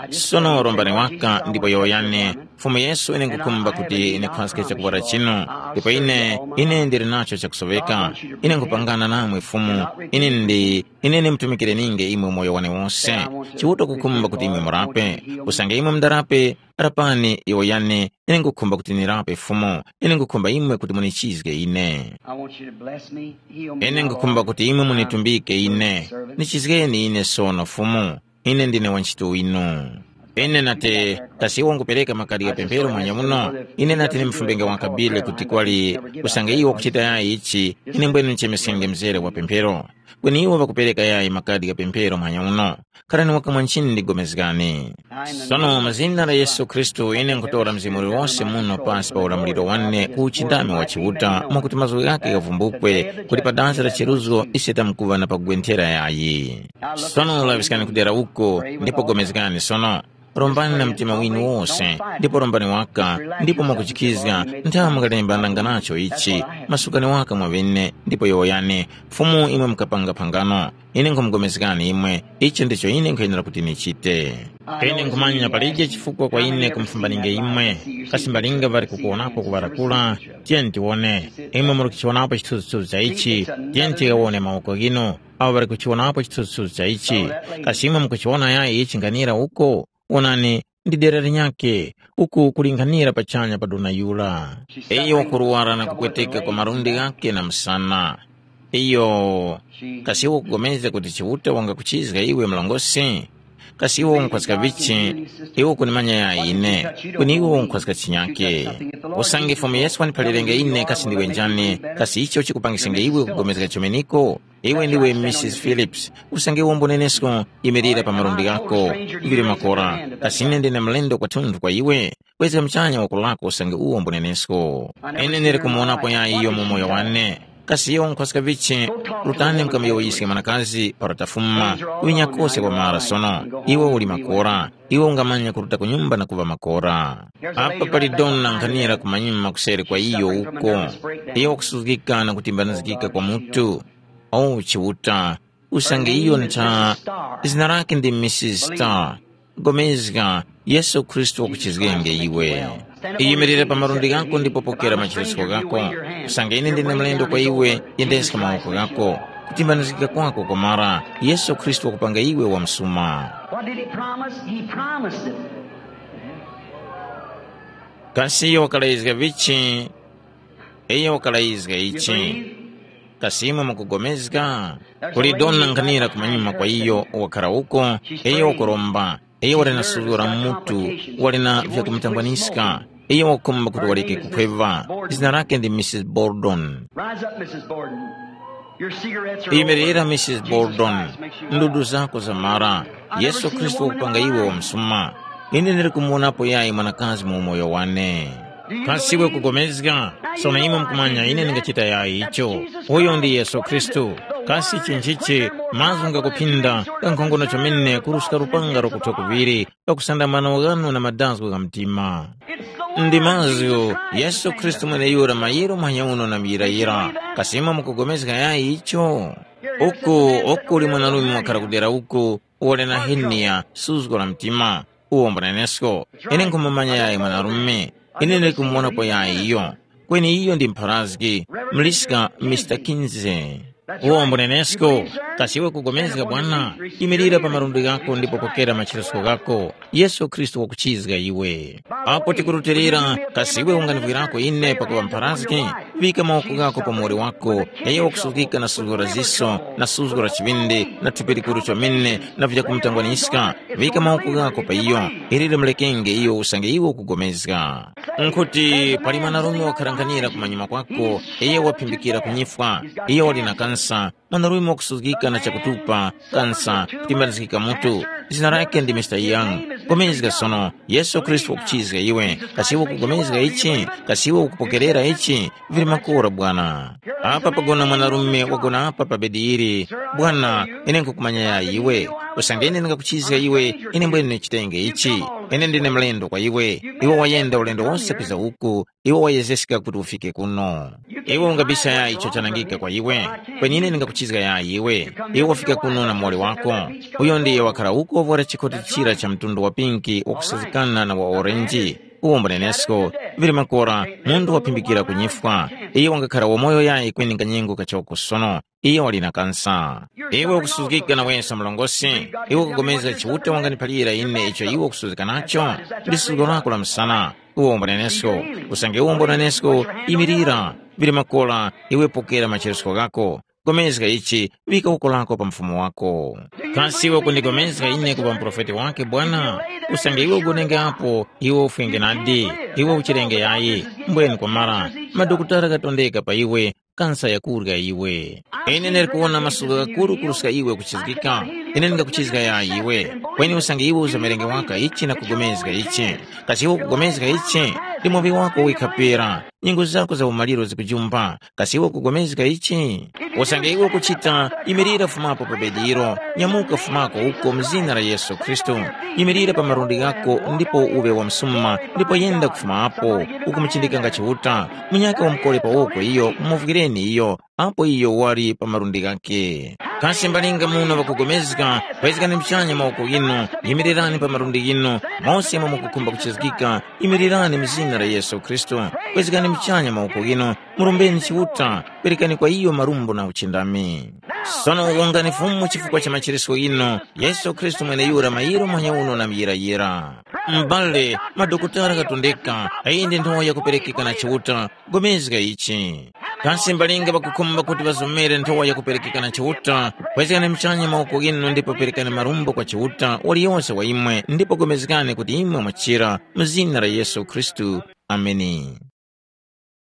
Sono rombani waka ndipo yowoyani, Fumu Yesu, ine nkukhumba kuti ine khwaske chakuwara chinu, ndipo ine, ine ndili nacho chakusoveka. Ine nkupangana namwe Fumu, ine ndi, ine ndimtumikire ninge imwe moyo wane wose. Chiuta kukhumba kuti imwe murape, usange imwe mundarape, rapani yowoyani, ine nkukhumba kuti nirape Fumu, ine nkukhumba imwe kuti munichizge ine. I want you to bless me, heal me, Ine nkukhumba kuti imwe munitumbike ine, nichizgeni ine sono Fumu, ine ndine wantchito winu. Ine nati, kasi iwo ngupereka makadi gha pemphero manya muno? Ine nati nimfumbenge wakabile kuti kwali usange iwo kuchita yayi ichi, ine mbwene nichemesenge mzere wa pemphero. Kweni iwo ŵakupereka yayi makadi gha pemphero manya muno. Kharani wakamwa nchini ndigomezgani. Sono mu zina la Yesu Khristu ine nkutora mzimu uliwose muno pasi pa ulamuliro wane ku uchindami wa Chiuta mwakuti mazgu ghake ghavumbukwe kuti pa dazi la cheruzgo ise tamkuŵa na pakugwenthera yayi. Sono laŵiskani kudera uko ndipo gomezgani sono. Rombani na mtima winu wose ndipo rombani waka ndipo mwakuchikizga nthawi mukalembananga nacho ichi. Masukani waka mwaŵene ndipo yowoyani, Fumu imwe mukapanga phangano. Ine nkhumugomezgani imwe, ichi ndicho ine nkhuyenera kuti nichite. Ine nkhumanya palije chifukwa kwa ine kumufumbaninge imwe, kasi mbalinga ŵali kukuwonapo kuŵarakula? Tiyeni tiwone. Imwe muli kuchiwonapo chithunzithunzi cha ichi, tiyeni tikawone mawoko ghinu, awo ŵali kuchiwonapo chithunzithunzi cha ichi. Kasi imwe mukuchiwona yayi ichi nkhanira uko? Wonani, ndi dera linyakhe, uku kulinghanira pachanya pa dona yura. Iyo wakuruwara na kupweteka kwa malundi ghakhe na msana. Iyo, kasi iwe ukupulikana kuti Chiuta wangakuchizga iwe mlongosi? Kasi iwe unkhwaska vichi? Iwe ukunimanya ya ine, kweni iwe unkhwaska chinyake. Usange Fumu Yesu waniphalirenge ine kasi ndiwe njani, kasi icho chikupangisenge iwe kupulikana chomeniko? Iwe ndiwe Missus Phillips, usange uwombo nenesko, imirira pa malundi ghako, uvire makora, kasi ine ndine mlendo kwathunthu kwa iwe? Kwezga muchanya woko lako usange uwombonenesko. Ine ndili kumuwonapo yayi iyo mu moyo wane. Kasi iyo nkhwaska vichi? Rutani mukamuyowoyiske mwanakazi para tafuma, winya kose kwa mara sono. Iwe uli makora, iwe ungamanya kuruta ku nyumba na kuŵa makora. Apa pali dona nkhanira kumanyuma kuseri kwa iyo uko. Iyo wakusuzgika na kutimbanizgika kwa mutu. O Chiuta, usange iyo ntha, zina lake ndi Missus Star. Gomezga, Yesu Khristu wakuchizgenge iwe. Yimirira pa malundi ghako ndipo pokera machiritso ghako. Usange ine ndine mlendo kwa iwe, yendeska mawoko ghako. Kutimbanizgika kwako kwamara, Yesu Khristu wakupanga iwe wamsuma. What did he promise? He promised it. Kasi iyo wakalayizga vichi? Iyo wakalayizga ichi. Kasi imwe mukugomezga? Kuli dona nkhanira kumanyuma kwa iyo wakhara uko, iyo wakuromba, iyo wali na suzgo la mutu, wali na vyakumutangwaniska, iyo wakukhumba kuti waleke kukhweva. Zina lake ndi Missus Bordon. Rise up, Missus Borden. Your cigarettes are Imirira over. Missus Jesus Bordon, Christ makes you well. Ndudu zako zamara. Yesu Khristu wakupanga iwe wamsuma. Ine ndili kumuwonapo yayi mwanakazi mu umoyo wane. Kasi iwe kugomezga? Sono imwe mukumanya ine ndingachita yayi icho. Uyo ndi Yesu Khristu. Kasi chinchichi, mazgu ngakuphinda, kankhongono chomene kuruska lupanga lokuthwa kuŵiri, pakusanda mano ghanu na madazgo gha mtima. Ndi mazgu Yesu Khristu mweneyura mayiro manyauno na muyirayira. Kasi imwe mukugomezga yayi icho? Uku, uku uli mwanarume wakhara kudera uku, wali na heniya, suzgo la mtima, uwo mbunenesko. Ine nkhumumanya yayi mwanarume. Ine ndikumuwonapo yayi iyo. Kweni iyo ndi mpharazgi, mliska Mister Kinsey. Uwo mbunenesko, kasi iwe kugomezga bwana, imirira pa malundi ghako ndipo pokera machiritso ghako. Yesu Khristu wakuchizga iwe. Apo tikurutilira, kasi iwe unganivwirako ine pakuŵa mpharazgi? Vika mawoko ghako pa muwoli wako, iyo wakusuzgika na suzgo la ziso, na suzgo la chiŵindi, na thupi likuru chomene, na vyakumutangwaniska. Vika mawoko ghako pa iyo, ili limulekenge iyo usange iwe ukugomezga. Nkhuti pali mwanarume wakharanganira kumanyuma kwako, iyo waphimbikira kunyifwa, iyo wali na kansa, mwanarume wakusuzgika na chakutupa, kansa, kutimbanizgika mutu. Zina lake ndi Mister Young. Gomezga sono, Yesu Khristu wakuchizga iwe. Kasi iwe ukugomezga ichi? Kasi iwe ukupokerera ichi? Vili makora bwana. Apa pagona mwanarume wagona apa pa bedi ili. Bwana, ine nkukumanya yayi iwe. Usange ine ndingakuchizga iwe, ine mbwene ndichitenge ichi. Ine ndine mlendo kwa iwe. Iwe wayenda ulendo wose kwiza uku, iwe wayezeska kuti ufike kuno. Iwe ungabisa yayi icho chanangika kwa iwe. Kweni ine ndingakuchizga yayi iwe. Iwe wafika kuno na muwoli wako. Uyo ndiye wakhala uko wovwara chikoti chira cha mtundu wa pinki wakusazikana na wa orenji. Uwo mbunenesko, vili makora, munthu waphimbikira kunyifwa. Iye wangakhara wamoyo yayi kweni kanyengo kachoko sono. Iye wali na kansa. Iwe ukusuzgika na wesa mlongosi, iwe ukugomeza Chiuta wanganiphalira ine icho iwe ukusuzgika nacho? Ndi suzgo lako la msana. Uwo mbunenesko, usange uwo mbunenesko, imirira, vili makora, iwe pokera macheresko ghako. Gomezga ichi, vika uko lako pa mfumu wako. Kasi iwe kundigomezga ine kuŵa muprofeti wake bwana? Usange iwe ugonenge apo, iwe ufwenge nadi, iwe uchirenge yayi, mbweni kwamara, madokotala ghatondeka pa iwe, kansa yakurya iwe. Ine ndili kuwona masuka ghakuru kuruska iwe kuchizgika. Ine ndingakuchizga yayi iwe. Kweni usange iwe uzamerenge waka ichi na kugomezga ichi, kasi iwe ukugomezga ichi, ndi muŵi wako wikha pera. Nyengo zako za umaliro zikujumba, kasi iwe ukugomezga ichi? Usange iwe ukuchita, yimirira fumapo pa bedi ilo, nyamuka fumako uko mu zina la Yesu Khristu. Yimirira pa malundi ghako ndipo uŵe wamsuma, ndipo yenda kufuma apo, ukumuchindikanga Chiuta. Munyakhe wamukole pa woko iyo, mumuvwireni iyo, apo iyo wali pa malundi ghakhe. Kasi mbalinga muno ŵakugomezga, pezekani muchanya mawoko ghinu, yimirirani pa malundi ghinu, mose imwe mukukhumba kuchizgika, yimirirani mu zina la Yesu Khristu. Pezekani muchanya mawoko ghinu, murombeni Chiuta, perekani kwa iyo marumbo na uchindami. Sono wongani Fumu chifukwa cha macheresko ghinu, Yesu Khristu mweneyura mayiro muhanya uno na muyirayira. M'bale, madokotala ghatondeka, iyi ndi nthowa yakuperekeka na Chiuta, gomezga ichi. Kasi mbalinga ŵakukhumba kuti ŵazomere nthowa yakuperekeka na Chiuta, pezekani muchanya mawoko ghinu ndipo perekani marumbo kwa Chiuta, waliyose wa imwe, ndipo gomezgani kuti imwe mwachira, mu zina la Yesu Khristu. Ameni.